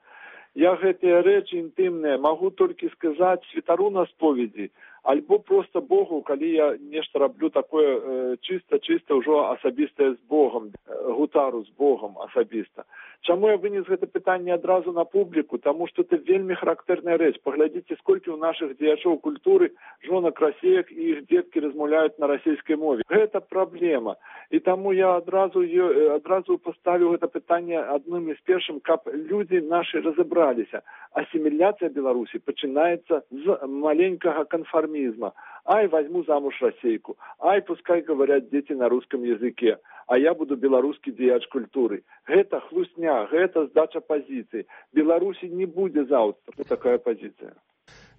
я гэтыя рэчы інтымныя магу толькі сказаць святару на споведзі, альбо проста Богу, калі я нешта раблю такое э, чыста-чыста ўжо асабістае з Богом, э, гутару з Богом асабіста. Чаму я вынес гэта пытанне адразу на публіку? Таму што это вельмі характэрная рэч. Паглядзіце, сколькі ў нашых дзеячоў культуры жонак расеек і іх дзеткі размаўляюць на расійскай мове. Гэта праблема. І таму я адразу, адразу паставіў гэта пытанне адным з першым, каб людзі нашы разабраліся. Асіміляцыя Беларусі пачынаецца з маленькага канфармізма. Ай, возьму замуж расейку. Ай, пускай говорят дети на русском языке. А я буду беларускі дзеяч культуры. Гэта хлусня, гэта здача пазіцыі. Беларусі не будзе заўтра такая пазіцыя.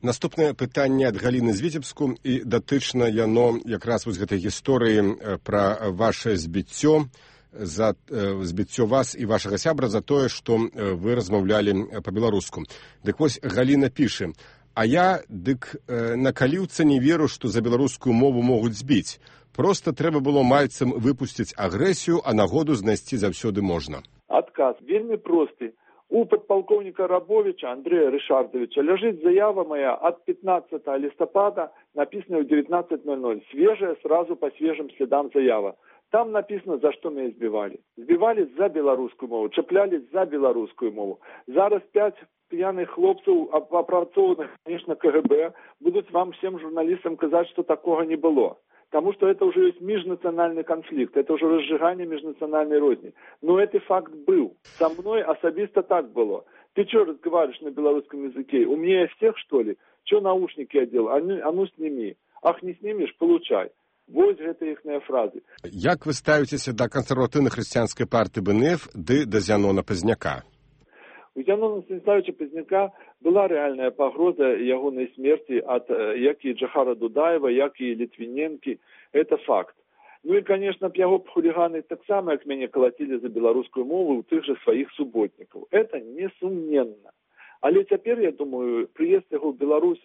Наступнае пытанне ад Галіны з Віцебску, і датычна яно якраз вось гэтай гісторыі пра ваше збіццё, за збіццё вас і вашага сябра за тое, што вы размаўлялі па-беларуску. Дык вось Галіна піша: «А я, дык на каліўца не веру, што за беларускую мову могуць збіць. Проста трэба было мальцам выпусціць агрэсію, а нагоду знайсці заўсёды можна». Адказ вельмі просты. У падпалкоўніка Рабовича Андрея Рышардовича ляжыць заява моя ад пятнадцатого листопада, написанная в девятнадцать ноль ноль. Свежая, сразу по свежим следам заява. Там написано, за что меня избивали. Избивали за белорусскую мову, чаплялись за белорусскую мову. Зараз пять пьяных хлопцев, опрацованных, конечно, КГБ, будут вам всем журналистам сказать, что такого не было. Потому что это уже есть межнациональный конфликт, это уже разжигание межнациональной розни. Но этот факт был. Со мной особисто так было. Ты что разговариваешь на белорусском языке? Умнее всех, что ли? Что наушники одел? А ну, а ну сними. Ах, не снимешь? Получай. Вось гэта іхныя фразы. Як вы ставіцеся да кансерватыўна-хрысціянскай партыі БНФ ды да Зянона Пазняка? У Зянона Станіславовича Пазняка была рэальная пагроза ягонай смерці ад як і Джахара Дудаева, як і Літвіненкі. Это факт. Ну і, конечно, б яго хуліганы таксама, як мяне калацілі за беларускую мову у тых жа сваіх суботнікаў. Это несумненна. Але цяпер, я думаю, прыезд яго ў Беларусь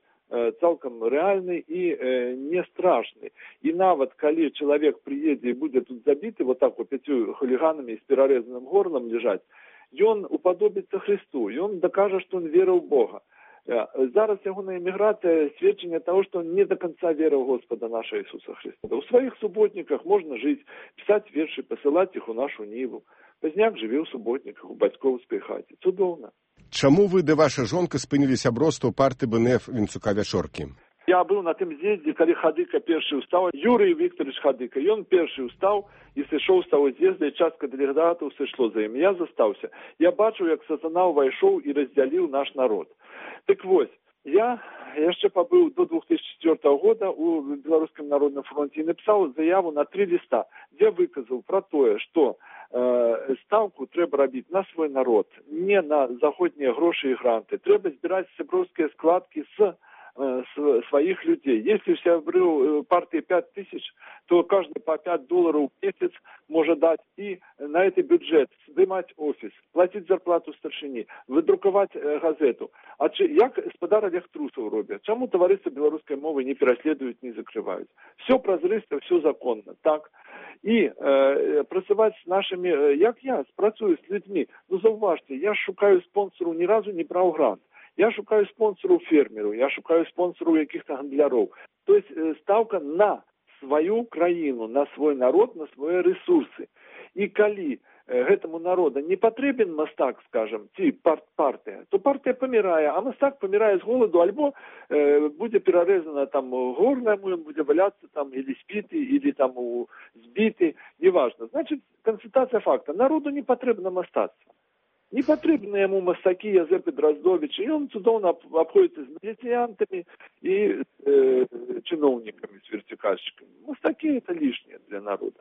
цалкам рэальны і э, не страшны. І нават калі чалавек прыедзе і будзе тут забіты вот так вот пяцю хуліганамі з перарэзаным горлам лежаць, ён уподобіцца Христу, ён дакажа, што он верыў у Бога. Зараз ягоная эміграцыя сведчанне таго, што он не до конца верыў Господа наша Ісуса Христа. У сваіх суботніках можна жыць, пісаць вершы, пасылаць іх у нашу ніву. Пазняк жыве ў суботніках, у бацькоўскай хаце. Цудоўна. Чаму вы ды ваша жонка спынілі сяброўства партыі БНФ Вінцука Вячоркі? Я быў на тым з'ездзе, калі Хадыка першы ўстаў, Юрый Викторович Хадыка. Ён першы ўстаў і сышоў з таго з'езда, і частка дэлегатаў сышло за ім. Я застаўся. Я бачыў, як сатана ўвайшоў і раздзяліў наш народ. Так вось, я яшчэ пабыў до двух тысячи четвёртого года у Беларускім народным фронте і напісаў заяву на три ліста, дзе выказаў пра тое, што э, стаўку трэба рабіць на свой народ, не на заходнія грошы і гранты. Трэба збіраць сяброўскія складкі з своих людей. Если у сябры партии пять тысяч, то каждый по пять долларов в месяц может дать и на этот бюджет сдымать офис, платить зарплату старшине, выдруковать э, газету. А чи, як господар Олег Трусов робят? Чему товариство белорусской мовы не переследуют, не закрывают? Все прозрысто, все законно. Так. И э, працевать с нашими, э, як я, працую с людьми. Ну, зауважьте, я шукаю спонсору, ни разу не брал грант. Я шукаю спонсору фермеру, я шукаю спонсору каких-то гандляров. То есть э, ставка на свою краину, на свой народ, на свои ресурсы. И коли э, этому народу не потребен мастак, скажем, ці пар партия, то партия помирает, а мастак помирает с голоду, альбо э, будет перерезано там горло, будет валяться там или спитый, или там сбитый, неважно. Значит, констатация факта. Народу не потребно мастаться. Не потрібні йому мастаки Язепи Дроздовича, і він цудовно обходиться з міліціянтами і е, чиновниками, з вертикальщиками. Мастаки – це лишнє для народу.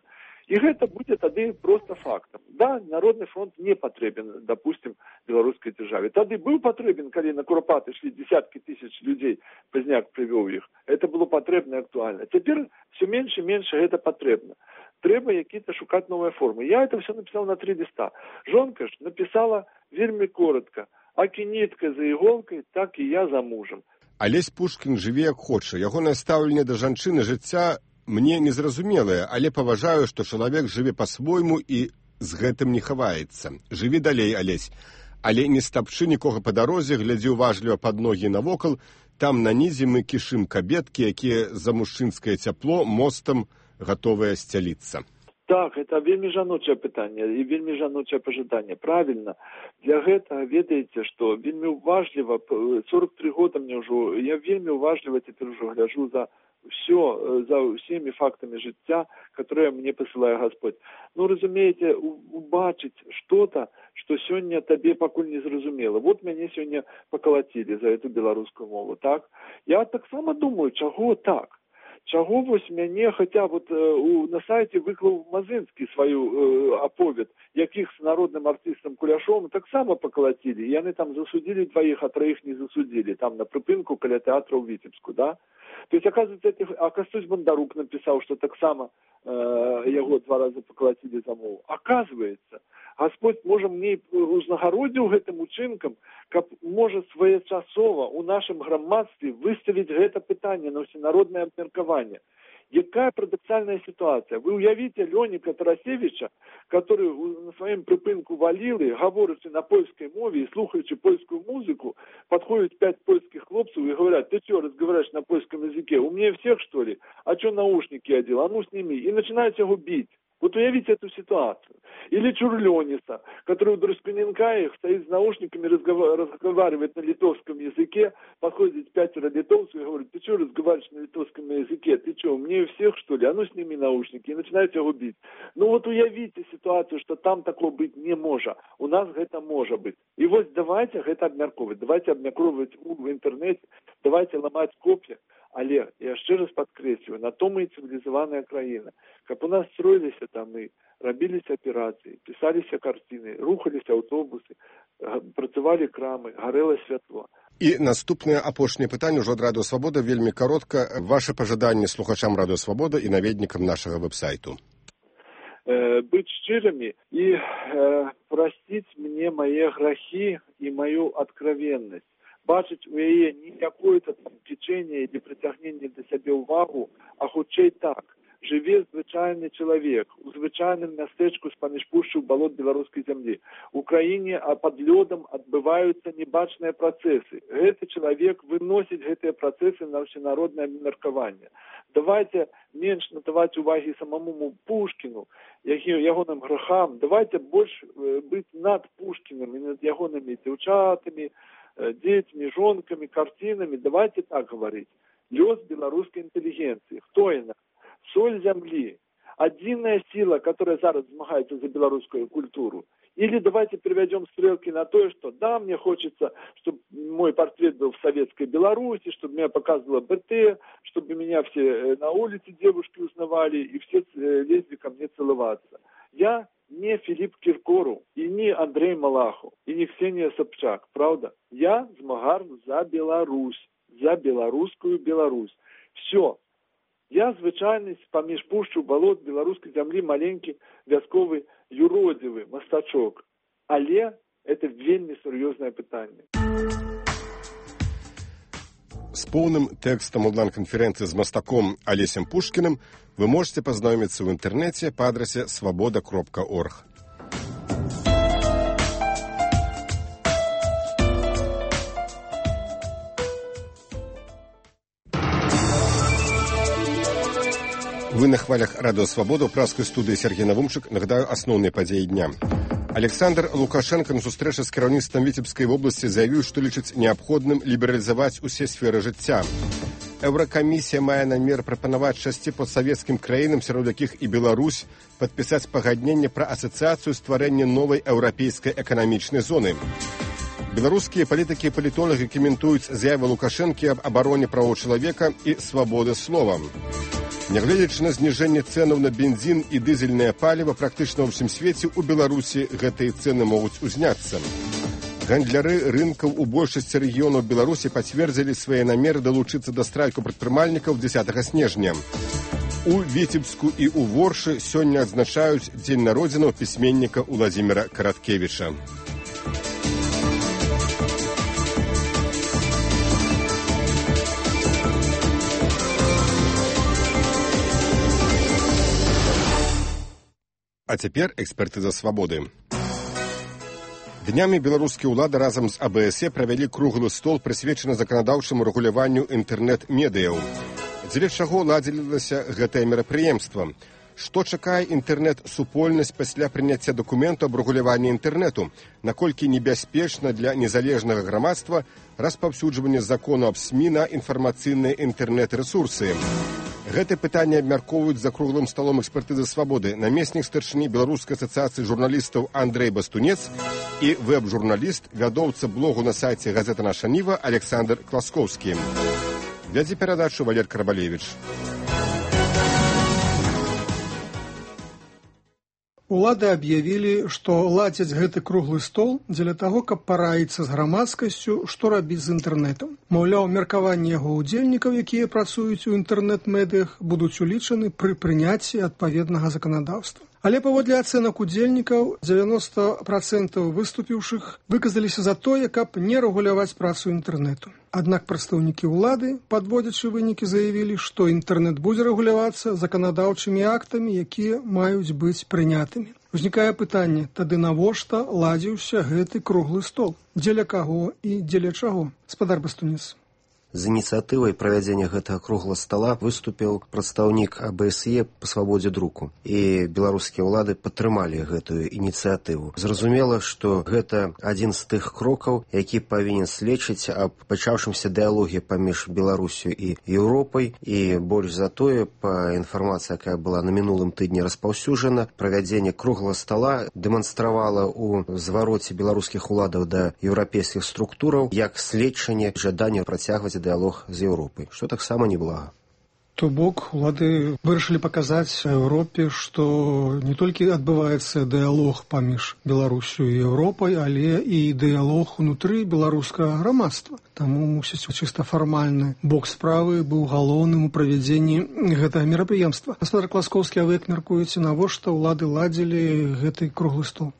І це буде тоді просто фактом. Да, Народний фронт не потрібен, допустим, білоруській державі. Тоді був потрібен, коли на Куропати йшли десятки тисяч людей, Позняк привів їх. Це було потрібно і актуально. Тепер все менше і менше це потрібно. Треба якісь шукати нові форми. Я це все написав на три листа. Жонка ж написала вельми коротко. Акі нітка за іголкою, так і я за мужем. Алесь Пушкін жыве як хоча. Ягонае стаўленне да жанчыны жыцця мне незразумелае, але паважаю, што чалавек жыве па-свойму і з гэтым не хаваецца. Жыві далей, Алесь. Але не стапчы нікога па дарозе, глядзі уважліва пад ногі навокал, там на нізе мы кішым кабеткі, якія за мужчынскае цяпло мостам готовая сцяліцца. Так, это вельмі жаночае пытанне і вельмі жаночае пажаданне. Правильно. Для гэтага ведаеце, што вельмі уважліва, сорок три года мне ўжо, я вельмі уважліва цяпер ужо гляжу за все, за всеми фактами жыцця, которые мне посылае Господь. Ну, разумееце, убачыць что-то, что сёння табе пакуль не зразумела. Вот мяне сёння поколотили за эту беларускую мову, так? Я таксама думаю, чаго так? Чаго вось мяне, хаця вот э, у, на сайце выклаў Мазынскі сваю э, аповед, якіх з народным артыстам Куляшовым таксама поколотили. Яны там засудили двоих, а троих не засудили. Там на прыпынку каля тэатра ў Віцебску, да? То есть, оказывается, это, а Костусь Бондарук написал, что так само э, его два раза поколотили за мову. Оказывается, Господь може мне узнагародзіў гэтым учынкам, каб можа своечасова у нашым грамадстве выставіць гэта пытанне на ўсенароднае абмеркаванне. Якая парадоксальная ситуация? Вы уявите Леоніка Тарасевича, который на своем припынку валилы, говорячи на польской мове и слухаючи польскую музыку, подходят пять польских хлопцев и говорят: ты что, разговариваешь на польском языке? Умнее всех, что ли? А что наушники одел? А ну сними. И начинают его бить. Вот уявите эту ситуацию. Или Чурлёниса, который у Друсканенка стоит с наушниками, разговаривает на литовском языке, подходит пятеро литовцев и говорит: ты что разговариваешь на литовском языке? Ты что, умнее всех, что ли? А ну сними наушники. И начинают его бить. Ну вот уявите ситуацию, что там такого быть не может. У нас это может быть. И вот давайте это обмерковывать. Давайте обмерковывать в интернете, давайте ломать копья. Але, я ще раз подкреслюю, на тому і цивілізована країна. Каб у нас строилися там і робилися операції, писалися картини, рухалися автобуси, працювали крами, горело світло. І наступне апошнє питання уже від Радіо Свобода, вельми коротко. Ваше пожадання слухачам Радіо Свобода і наведникам нашого веб-сайту. Э, быть щирыми и э, простить мне мои грехи и мою откровенность. Бачыць у яе не какое-то течение или притягнение до себе увагу, а хутчэй так. Жыве звычайны чалавек у звычайным мястэчку з-паміж пушчы ў балот беларускай зямлі. У краіне пад лёдам адбываюцца небачныя працэсы. Гэты чалавек выносіць гэтыя працэсы на ўсенароднае меркаванне. Давайте менш надаваць увагі самому Пушкіну, ягоным грахам. Давайте больш быць над Пушкіным і над ягонымі дзяўчатамі, детьми, жонками, картинами. Давайте так говорить. лёс беларускай інтэлігенцыі. Хто яна? Соль зямлі. Адзіная сила, которая зараз змагаецца за беларускую культуру. Или давайте переведем стрелки на то, что да, мне хочется, чтобы мой портрет был в советской Беларуси, чтобы меня показывало БТ, чтобы меня все на улице девушки узнавали и все лезли ко мне целоваться. Я не Филипп Киркоров, и не Андрей Малахов, и не Ксения Собчак, правда? Я змагар за Беларусь, за белорусскую Беларусь. Все. Я звычайны паміж пушчу балот беларускай зямлі маленькі вясковы юродзівы мастачок. Але это вельмі сур'ёзнае пытанне. С полным текстом онлайн-конференции с мастаком Олесем Пушкиным вы можете познакомиться в интернете по адресе свобода точка орг. Вы на хвалях Радио Свобода, у праской студии Сергей Навумчик. Нагадаю основные подеи дня. Александр Лукашенко на сустрэчы з кіраўніцтвам Віцебскай вобласці заявіў, што лічыць неабходным лібералізаваць усе сферы жыцця. Еўракамісія мае намер прапанаваць шасці постсавецкім краінам, сярод якіх і Беларусь, падпісаць пагадненне пра асацыяцыю стварэння новай еўрапейскай эканамічнай зоны. Беларускія палітыкі і палітолагі каментуюць заявы Лукашэнкі аб абароне правоў чалавека і свабоды слова. Нягледзячы на зніжэнне цэнаў на бензін і дызельнае паліва, практычна ва ўсім свеце у Беларусі гэтыя цэны могуць узняцца. Гандляры рынкаў у большасці рэгіёнаў Беларусі пацвердзілі свае намеры далучыцца да страйку прадпрымальнікаў дзесятага снежня. У Віцебску і ў Воршы сёння адзначаюць дзень народзінаў пісьменніка Уладзіміра Караткевіча. А цяпер экспертыза свабоды. Днямі беларускія ўлады разам з АБСЕ правялі круглы стол, прысвечаны заканадаўчаму рэгуляванню інтэрнэт-медыяў. Дзеля чаго ладзілася гэтае мерапрыемства? Што чакае інтэрнэт-супольнасць пасля прыняцця дакументу аб рэгуляванні інтэрнэту? Наколькі небяспечна для незалежнага грамадства распаўсюджванне закону аб СМІ на інфармацыйныя інтэрнэт-рэсурсы? Гэта пытанне абмяркоўваюць за круглым сталом экспертызы свабоды намеснік старшыні Беларускай асацыяцыі журналістаў Андрэй Бастунец і вэб-журналіст, вядоўца блогу на сайце газета «Наша Ніва» Александр Класкоўскі. Вядзе перадачу Валер Карабалевіч. Улады аб'явілі, што ладзяць гэты круглы стол дзеля таго, каб параіцца з грамадскасцю, што рабіць з інтэрнэтам. Маўляў, меркаванні яго ўдзельнікаў, якія працуюць у інтэрнэт-медыях, будуць улічаны пры прыняцці адпаведнага заканадаўства. Але паводле ацэнак удзельнікаў, дзевяноста працэнтаў выступіўшых выказаліся за тое, каб не рэгуляваць працу інтэрнэту. Аднак прадстаўнікі ўлады, падводзячы вынікі, заявілі, што інтэрнэт будзе рэгулявацца заканадаўчымі актамі, якія маюць быць прынятымі. Узнікае пытанне, тады навошта ладзіўся гэты круглы стол? Дзеля каго і дзеля чаго? Спадар Бастунец. З ініцыятывай правядзення гэтага круглага стала выступіў прадстаўнік АБСЕ па свабодзе друку. І беларускія ўлады падтрымалі гэтую ініцыятыву. Зразумела, што гэта адзін з тых крокаў, які павінен сведчыць аб пачаўшымся дыялоге паміж Беларусю і Еўропай. І больш за тое, па інфармацыі, якая была на мінулым тыдні распаўсюджана, правядзенне круглага стала дэманстравала ў звароце беларускіх уладаў да еўрапейскіх структураў як сведчанне жадання працягваць дыялог з Еўропай, што таксама неблага. То бок, улады вырашылі паказаць Еўропе, што не толькі адбываецца дыялог паміж Беларусю і Еўропай, але і дыялог унутры беларускага грамадства. Таму, мусіць, чыста фармальны бок справы быў галоўным у правядзенні гэтага мерапрыемства. Гаспадар Класкоўскі, а вы як мяркуеце, навошта ўлады ладзілі гэты круглы стол?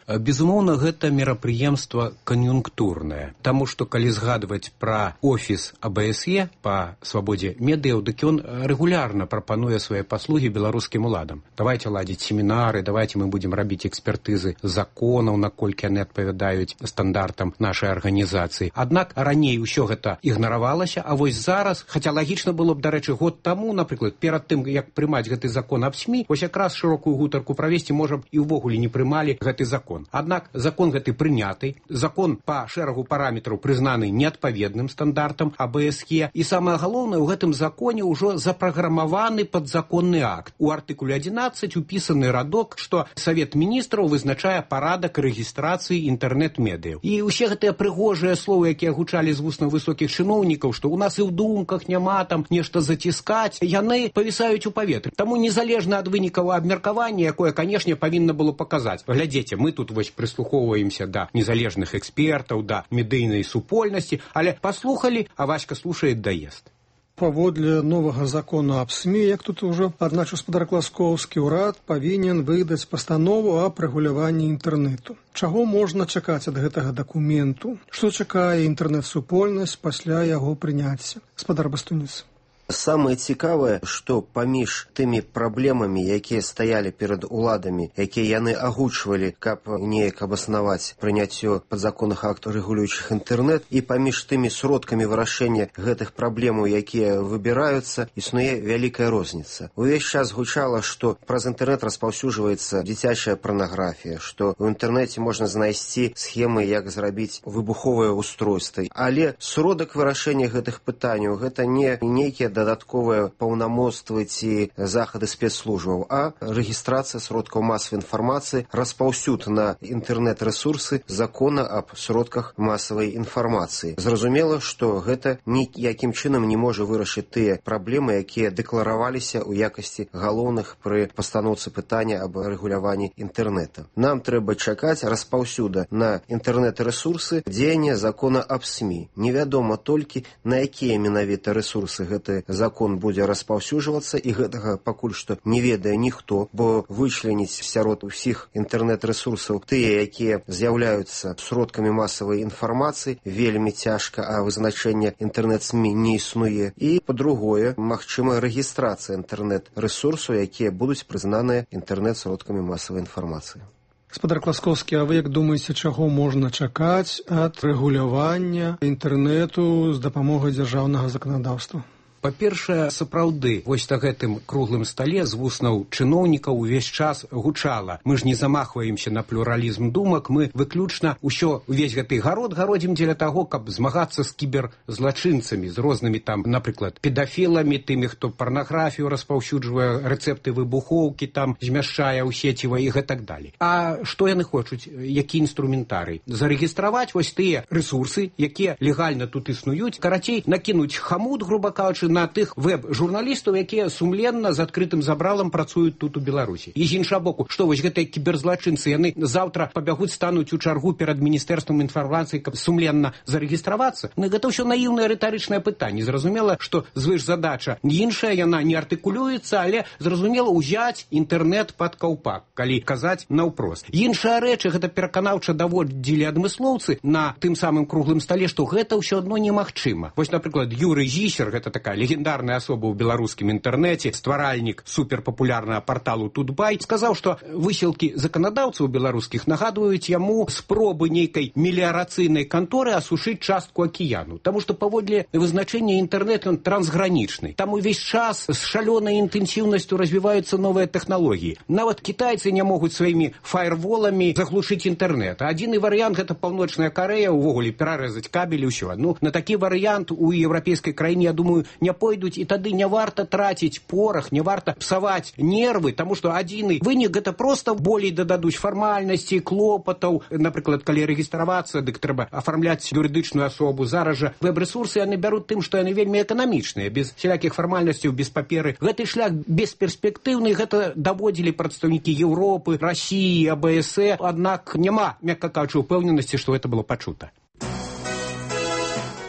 Безумоўна, гэта мерапрыемства кан'юнктурнае, таму што калі згадваць пра офіс АБСЕ па свабодзе медыяў, дык ён рэгулярна прапануе свае паслугі беларускім уладам. Давайце ладзіць семінары, давайце мы будзем рабіць экспертызы законаў, наколькі яны адпавядаюць стандартам нашай арганізацыі. Аднак раней усё гэта ігнаравалася, а вось зараз, хаця лагічна было б, дарэчы, год таму, напрыклад, перад тым, як прымаць гэты закон аб СМІ, вось якраз шырокую гутарку правесці, можа б, і ўвогуле не прымалі гэты закон. закон. Аднак закон гэты прыняты, закон па шэрагу параметраў прызнаны неадпаведным стандартам А Б С Е, і самае галоўнае, у гэтым законе ўжо запраграмаваны падзаконны акт. У артыкуле адзінаццаць упісаны радок, што Савет міністраў вызначае парадак рэгістрацыі інтэрнэт-медыяў. І ўсе гэтыя прыгожыя словы, якія гучалі з вуснаў высокіх чыноўнікаў, што ў нас і ў думках няма там нешта заціскаць, яны павісаюць у паветры. Таму незалежна ад вынікаў абмеркавання, якое, канешне, павінна было паказаць. Глядзіце, мы тут вось прыслухоўваемся да незалежных экспертаў, да медыйнай супольнасці, але паслухалі, а Васька слушает, даест. Паводле новага закона аб СМІ, як тут ужо адзначыў спадар Класкоўскі, урад павінен выдаць пастанову аб рэгуляванні інтэрнэту. Чаго можна чакаць ад гэтага дакументу? Што чакае інтэрнэт-супольнасць пасля яго прыняцця? Спадар Бастуніц. Самае цікавае, што паміж тымі праблемамі, якія стаялі перад уладамі, якія яны агучвалі, каб неяк абаснаваць прыняццё падзаконных актаў рэгулюючых інтэрнэт, і паміж тымі сродкамі вырашэння гэтых праблемаў, якія выбіраюцца, існуе вялікая розніца. Увесь час гучала, што праз інтэрнэт распаўсюджваецца дзіцячая парнаграфія, што ў інтэрнэце можна знайсці схемы, як зрабіць выбуховыя устройствы. Але сродак вырашэння гэтых пытанняў гэта не нейкія дадатковыя паўнамоцтвы ці захады спецслужбаў, а рэгістрацыя сродкаў масавай інфармацыі, распаўсюд на інтэрнэт-рэсурсы закона аб сродках масавай інфармацыі. Зразумела, што гэта ніякім чынам не можа вырашыць тыя праблемы, якія дэклараваліся ў якасці галоўных пры пастаноўцы пытання аб рэгуляванні інтэрнэта. Нам трэба чакаць распаўсюда на інтэрнэт-рэсурсы дзеяння закона аб СМІ. Невядома толькі, на якія менавіта рэсурсы гэты закон будзе распаўсюджвацца, і гэтага пакуль што не ведае ніхто, бо вычленіць сярод усіх інтэрнэт-рэсурсаў тыя, якія з'яўляюцца сродкамі масавай інфармацыі, вельмі цяжка, а вызначэння інтэрнэт-СМІ не існуе. І, па-другое, магчыма рэгістрацыя інтэрнэт-рэсурсаў, якія будуць прызнаныя інтэрнэт-сродкамі масавай інфармацыі. Спадар Класкоўскі, а вы як думаеце, чаго можна чакаць ад рэгулявання інтэрнэту з дапамогай дзяржаўнага заканадаўства? Па-першае, сапраўды, вось на гэтым круглым стале з вуснаў чыноўнікаў увесь час гучала. Мы ж не замахваемся на плюралізм думак, мы выключна ўсё, увесь гэты гарод гародзім дзеля таго, каб змагацца з кіберзлачынцамі, з рознымі там, напрыклад, педафіламі, тымі, хто парнаграфію распаўсюджвае, рэцэпты выбухоўкі там змяшчае ў сеціва і гэтак далей. А што яны хочуць? Які інструментарый? Зарэгістраваць вось тыя рэсурсы, якія легальна тут існуюць, карацей, накінуць хамут, груба кажучы, на тых веб-журналістаў, якія сумленна з адкрытым забралам працуюць тут у Беларусі. І з іншага боку, што вось гэтыя кіберзлачынцы, яны заўтра пабягуць, стануць у чаргу перад міністэрствам інфармацыі, каб сумленна зарэгістравацца? Ну, гэта ўсё наіўнае рытарычнае пытанне. Зразумела, што звышзадача іншая, яна не артыкулюецца, але зразумела ўзяць інтэрнэт пад каўпак, калі казаць наўпрост. Іншая рэч, гэта пераканаўча даводзілі адмыслоўцы на тым самым круглым стале, што гэта ўсё адно немагчыма. Вось, напрыклад, Юрый Зісер, гэта такая легендарная асоба ў беларускім інтэрнэце, стваральнік суперпапулярнага парталу Тутбай, сказаў, што высілкі заканадаўцаў беларускіх нагадваюць яму спробы нейкай меліярацыйнай канторы асушыць частку акіяну. Таму што паводле вызначэння інтэрнэт ён трансгранічны. Там увесь час з шалёнай інтэнсіўнасцю развіваюцца новыя тэхналогіі. Нават кітайцы не могуць сваімі фаерволамі заглушыць інтэрнэт. Адзіны варыянт — гэта паўночная Карэя, увогуле перарэзаць кабель і ўсё. Ну, на такі варыянт у еўрапейскай краіне, я думаю, не пойдуць, і тады не варта траціць порах, не варта псаваць нервы, таму што адзіны вынік — гэта проста болей дададуць фармальнасці, клопатаў. Напрыклад, калі рэгістравацца, дык трэба афармляць юрыдычную асобу. Зараз жа веб-рэсурсы яны бяруць тым, што яны вельмі эканамічныя, без всялякіх фармальнасцяў, без паперы. Гэты шлях бесперспектыўны, гэта даводзілі прадстаўнікі Еўропы, Расіі, А Б С Е, аднак няма, мякка кажучы, упэўненасці, што гэта было пачута.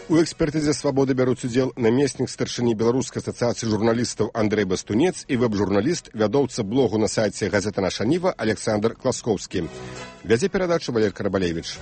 У экспертызе «Свабоды» бяруць удзел намеснік старшыні Беларускай асацыяцыі журналістаў Андрэй Бастунец і вэб-журналіст, вядоўца блогу на сайце газеты «Наша Ніва» Александр Класкоўскі. Вядзе перадачу Валерый Карабалевіч.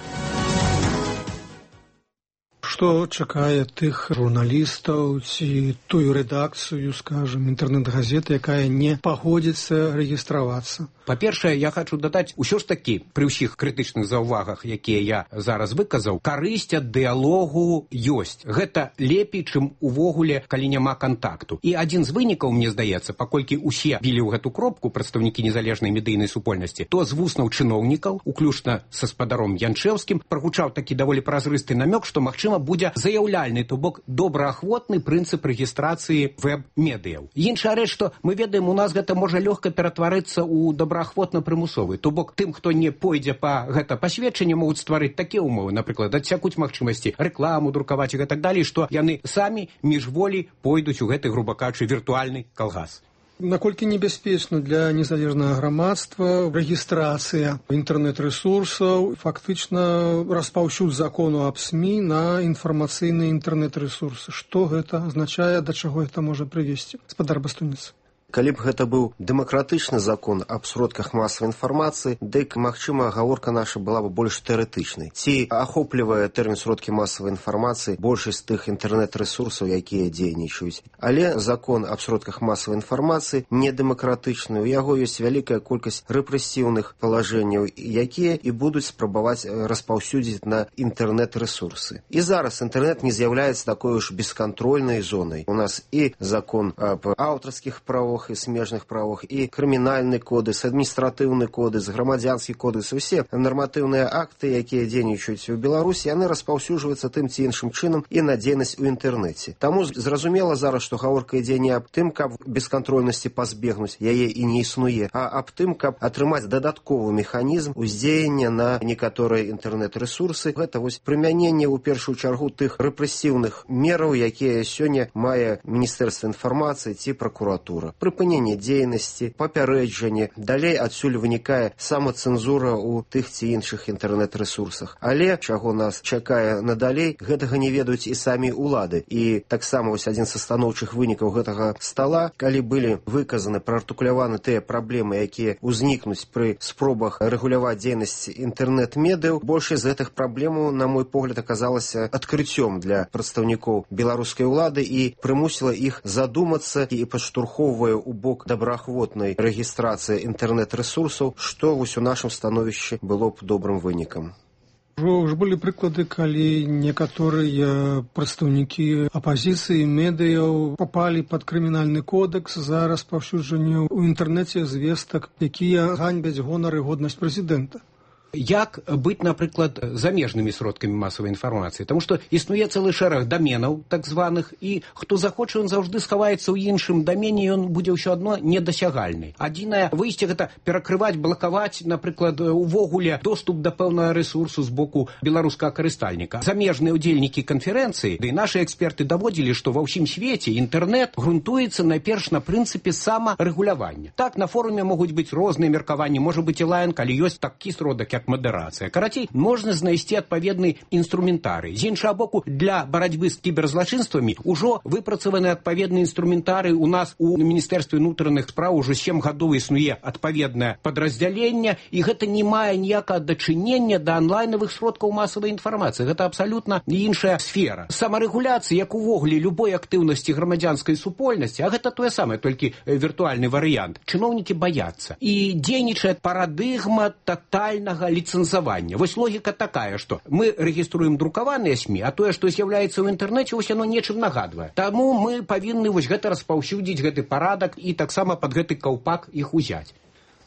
Што чакае тых журналістаў ці тую рэдакцыю, скажем, інтэрнэт-газеты, якая не пагодзіцца рэгістравацца? Па-першае, я хочу дадаць, усё ж такі, пры ўсіх крытычных заўвагах, якія я зараз выказаў, карысць ад дыялогу ёсць. Гэта лепей, чым увогуле, калі няма кантакту. І адзін з вынікаў, мне здаецца, паколькі усе білі ў гэту кропку прадстаўнікі незалежнай медыйнай супольнасці, то з вуснаў чыноўнікаў, уключна са спадаром Янчэўскім, прагучаў такі даволі празрысты намёк, што, магчыма, будзе заяўляльны, то бок добраахвотны прынцып рэгістрацыі вэб-медыяў. Іншая рэч, што мы ведаем, у нас гэта можа лёгка ператварыцца ў добраахвотна-прымусовы. То бок тым, хто не пойдзе па гэта пасведчанне, могуць стварыць такія ўмовы, напрыклад, адсякуць магчымасці рэкламу друкаваць і гэтак далей, што яны самі міжволі пойдуць у гэты, груба кажучы, віртуальны калгас. Наколькі небяспечна для незалежнага грамадства рэгістрацыя інтэрнэт-рэсурсаў, фактычна распаўсюд закону аб СМІ на інфармацыйныя інтэрнэт-рэсурсы. Што гэта азначае, да чаго гэта можа прывесці? Спадар Бастунец. Калі б гэта быў дэмакратычны закон аб сродках масавай інфармацыі, дык, магчыма, гаворка наша была б больш тэарэтычнай. Ці ахоплівае тэрмін сродкі масавай інфармацыі большасць тых інтэрнэт-рэсурсаў, якія дзейнічаюць. Але закон аб сродках масавай інфармацыі не дэмакратычны. У яго ёсць вялікая колькасць рэпрэсіўных палажэнняў, якія і будуць спрабаваць распаўсюдзіць на інтэрнэт-рэсурсы. І зараз інтэрнэт не з'яўляецца такой уж бескантрольнай зонай. У нас і закон аб аўтарскіх правах, і смежных правах, і крымінальны кодекс, адміністратыўны кодекс, грамадзянскі кодекс, усе нарматыўныя акты, якія дзейнічаюць у Беларусі, яны распаўсюджваюцца тым ці іншым чынам і на дзейнасць у інтэрнэце. Таму зразумела зараз, што гаворка ідзе не аб тым, каб бескантрольнасці пазбегнуць, яе і не існуе, а аб тым, каб атрымаць дадатковы механізм уздзеяння на некаторыя інтэрнэт-рэсурсы. Гэта вось прымяненне ў першую чаргу тых рэпрэсіўных мераў, якія сёння мае Міністэрства інфармацыі ці пракуратура. Прыпыненне дзейнасці, папярэджанне, далей адсюль вынікае самацэнзура ў тых ці іншых інтэрнэт-рэсурсах. Але, чаго нас чакае надалей, гэтага не ведаюць і самі ўлады. І таксама вось адзін са станоўчых вынікаў гэтага стала, калі былі выказаны, праартыкуляваны тыя праблемы, якія ўзнікнуць пры спробах рэгуляваць дзейнасць інтэрнэт-медыяў, большасць з гэтых праблемаў, на мой погляд, аказалася адкрыццём для прадстаўнікоў беларускай улады і прымусіла іх задумацца і падштурхоўвае у бок добраахвотнай рэгістрацыі інтэрнэт-рэсурсаў, што вось у нашым становішчы было б добрым вынікам. Уже былі прыклады, калі некаторыя прадстаўнікі апазіцыі, медыяў папалі пад крымінальны кодекс за распаўсюджанне ў інтэрнэце звестак, якія ганьбяць гонар і годнасць прэзідэнта. Як быць, напрыклад, замежнымі сродкамі масавай інфармацыі? Таму што існуе цэлы шэраг даменаў, так званых, і хто захоча, ён заўжды схаваецца ў іншым дамене, ён будзе ўсё адно недасягальны. Адзінае выйсце гэта перакрываць, блакаваць, напрыклад, увогуле доступ да пэўнага рэсурсу з боку беларускага карыстальніка. Замежныя ўдзельнікі канферэнцыі, ды і нашы эксперты даводзілі, што ва ўсім свеце інтэрнэт грунтуецца найперш на прынцыпе самарэгулявання. Так, на форуме могуць быць розныя меркаванні, можа быць і лайн, калі ёсць такі сродак, як мадэрацыя. Карацей, можна знайсці адпаведны інструментарый. З іншага боку, для барацьбы з кіберзлачынствамі ўжо выпрацаваны адпаведны інструментарый. У нас у Міністэрстве ўнутраных спраў ужо сем гадоў існуе адпаведнае падраздзяленне, і гэта не мае ніякага дачынення да онлайнавых сродкаў масавай інфармацыі. Гэта абсалютна іншая сфера. Самарэгуляцыя, як увогуле любой актыўнасці грамадзянскай супольнасці, а гэта тое самае, толькі віртуальны варыянт. Чыноўнікі баяцца. І дзейнічае парадыгма татальнага ліцэнзавання. Вось логіка такая, што мы рэгіструем друкаваныя СМІ, а тое, што з'яўляецца ў інтэрнэце, вось яно нечым нагадвае. Таму мы павінны вось гэта распаўсюдзіць, гэты парадак, і таксама пад гэты каўпак іх узяць.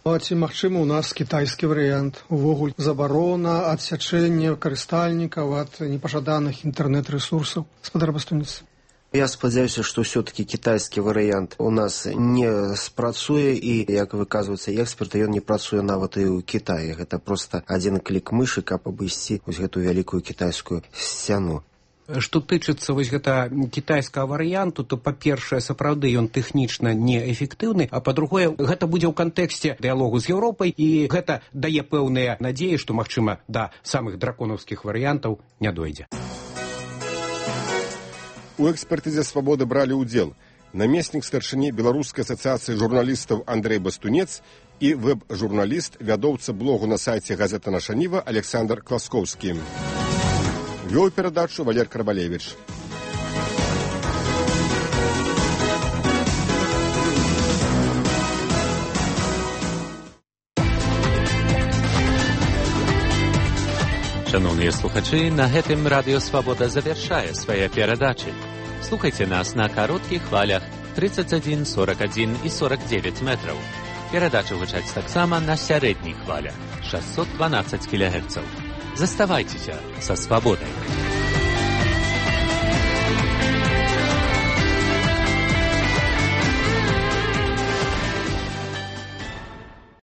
А ці магчыма ў нас кітайскі варыянт? Увогуле забарона, адсячэнне карыстальнікаў ад непажаданых інтэрнэт-рэсурсаў? Спадар Бастунец. Я спадзяюся, што ўсё-такі кітайскі варыянт у нас не спрацуе і, як выказваецца эксперты, ён не працуе нават і ў Кітаі. Гэта проста адзін клік мышы, каб абысці вось гэту вялікую кітайскую сцяну. Што тычыцца вось гэта кітайскага варыянту, то, па-першае, сапраўды ён тэхнічна неэфектыўны, а па-другое, гэта будзе ў кантэксце дыялогу з Еўропай, і гэта дае пэўныя надзеі, што, магчыма, да самых драконаўскіх варыянтаў не дойдзе. У экспертызе «Свабоды» бралі ўдзел намеснік старшыні Беларускай асацыяцыі журналістаў Андрэй Бастунец і вэб-журналіст, вядоўца блогу на сайце газета «Наша Ніва» Александр Класкоўскі. Вёў перадачу Валер Карбалевіч. Шановныя слухачы, на гэтым Радыё Свабода завяршае свае перадачы. Слухайце нас на кароткіх хвалях тридцать один, сорок один і сорок девять метраў. Перадачы гучаць таксама на сярэдніх хвалях шестьсот двенадцать кілогерцаў. Заставайцеся са Свабодай.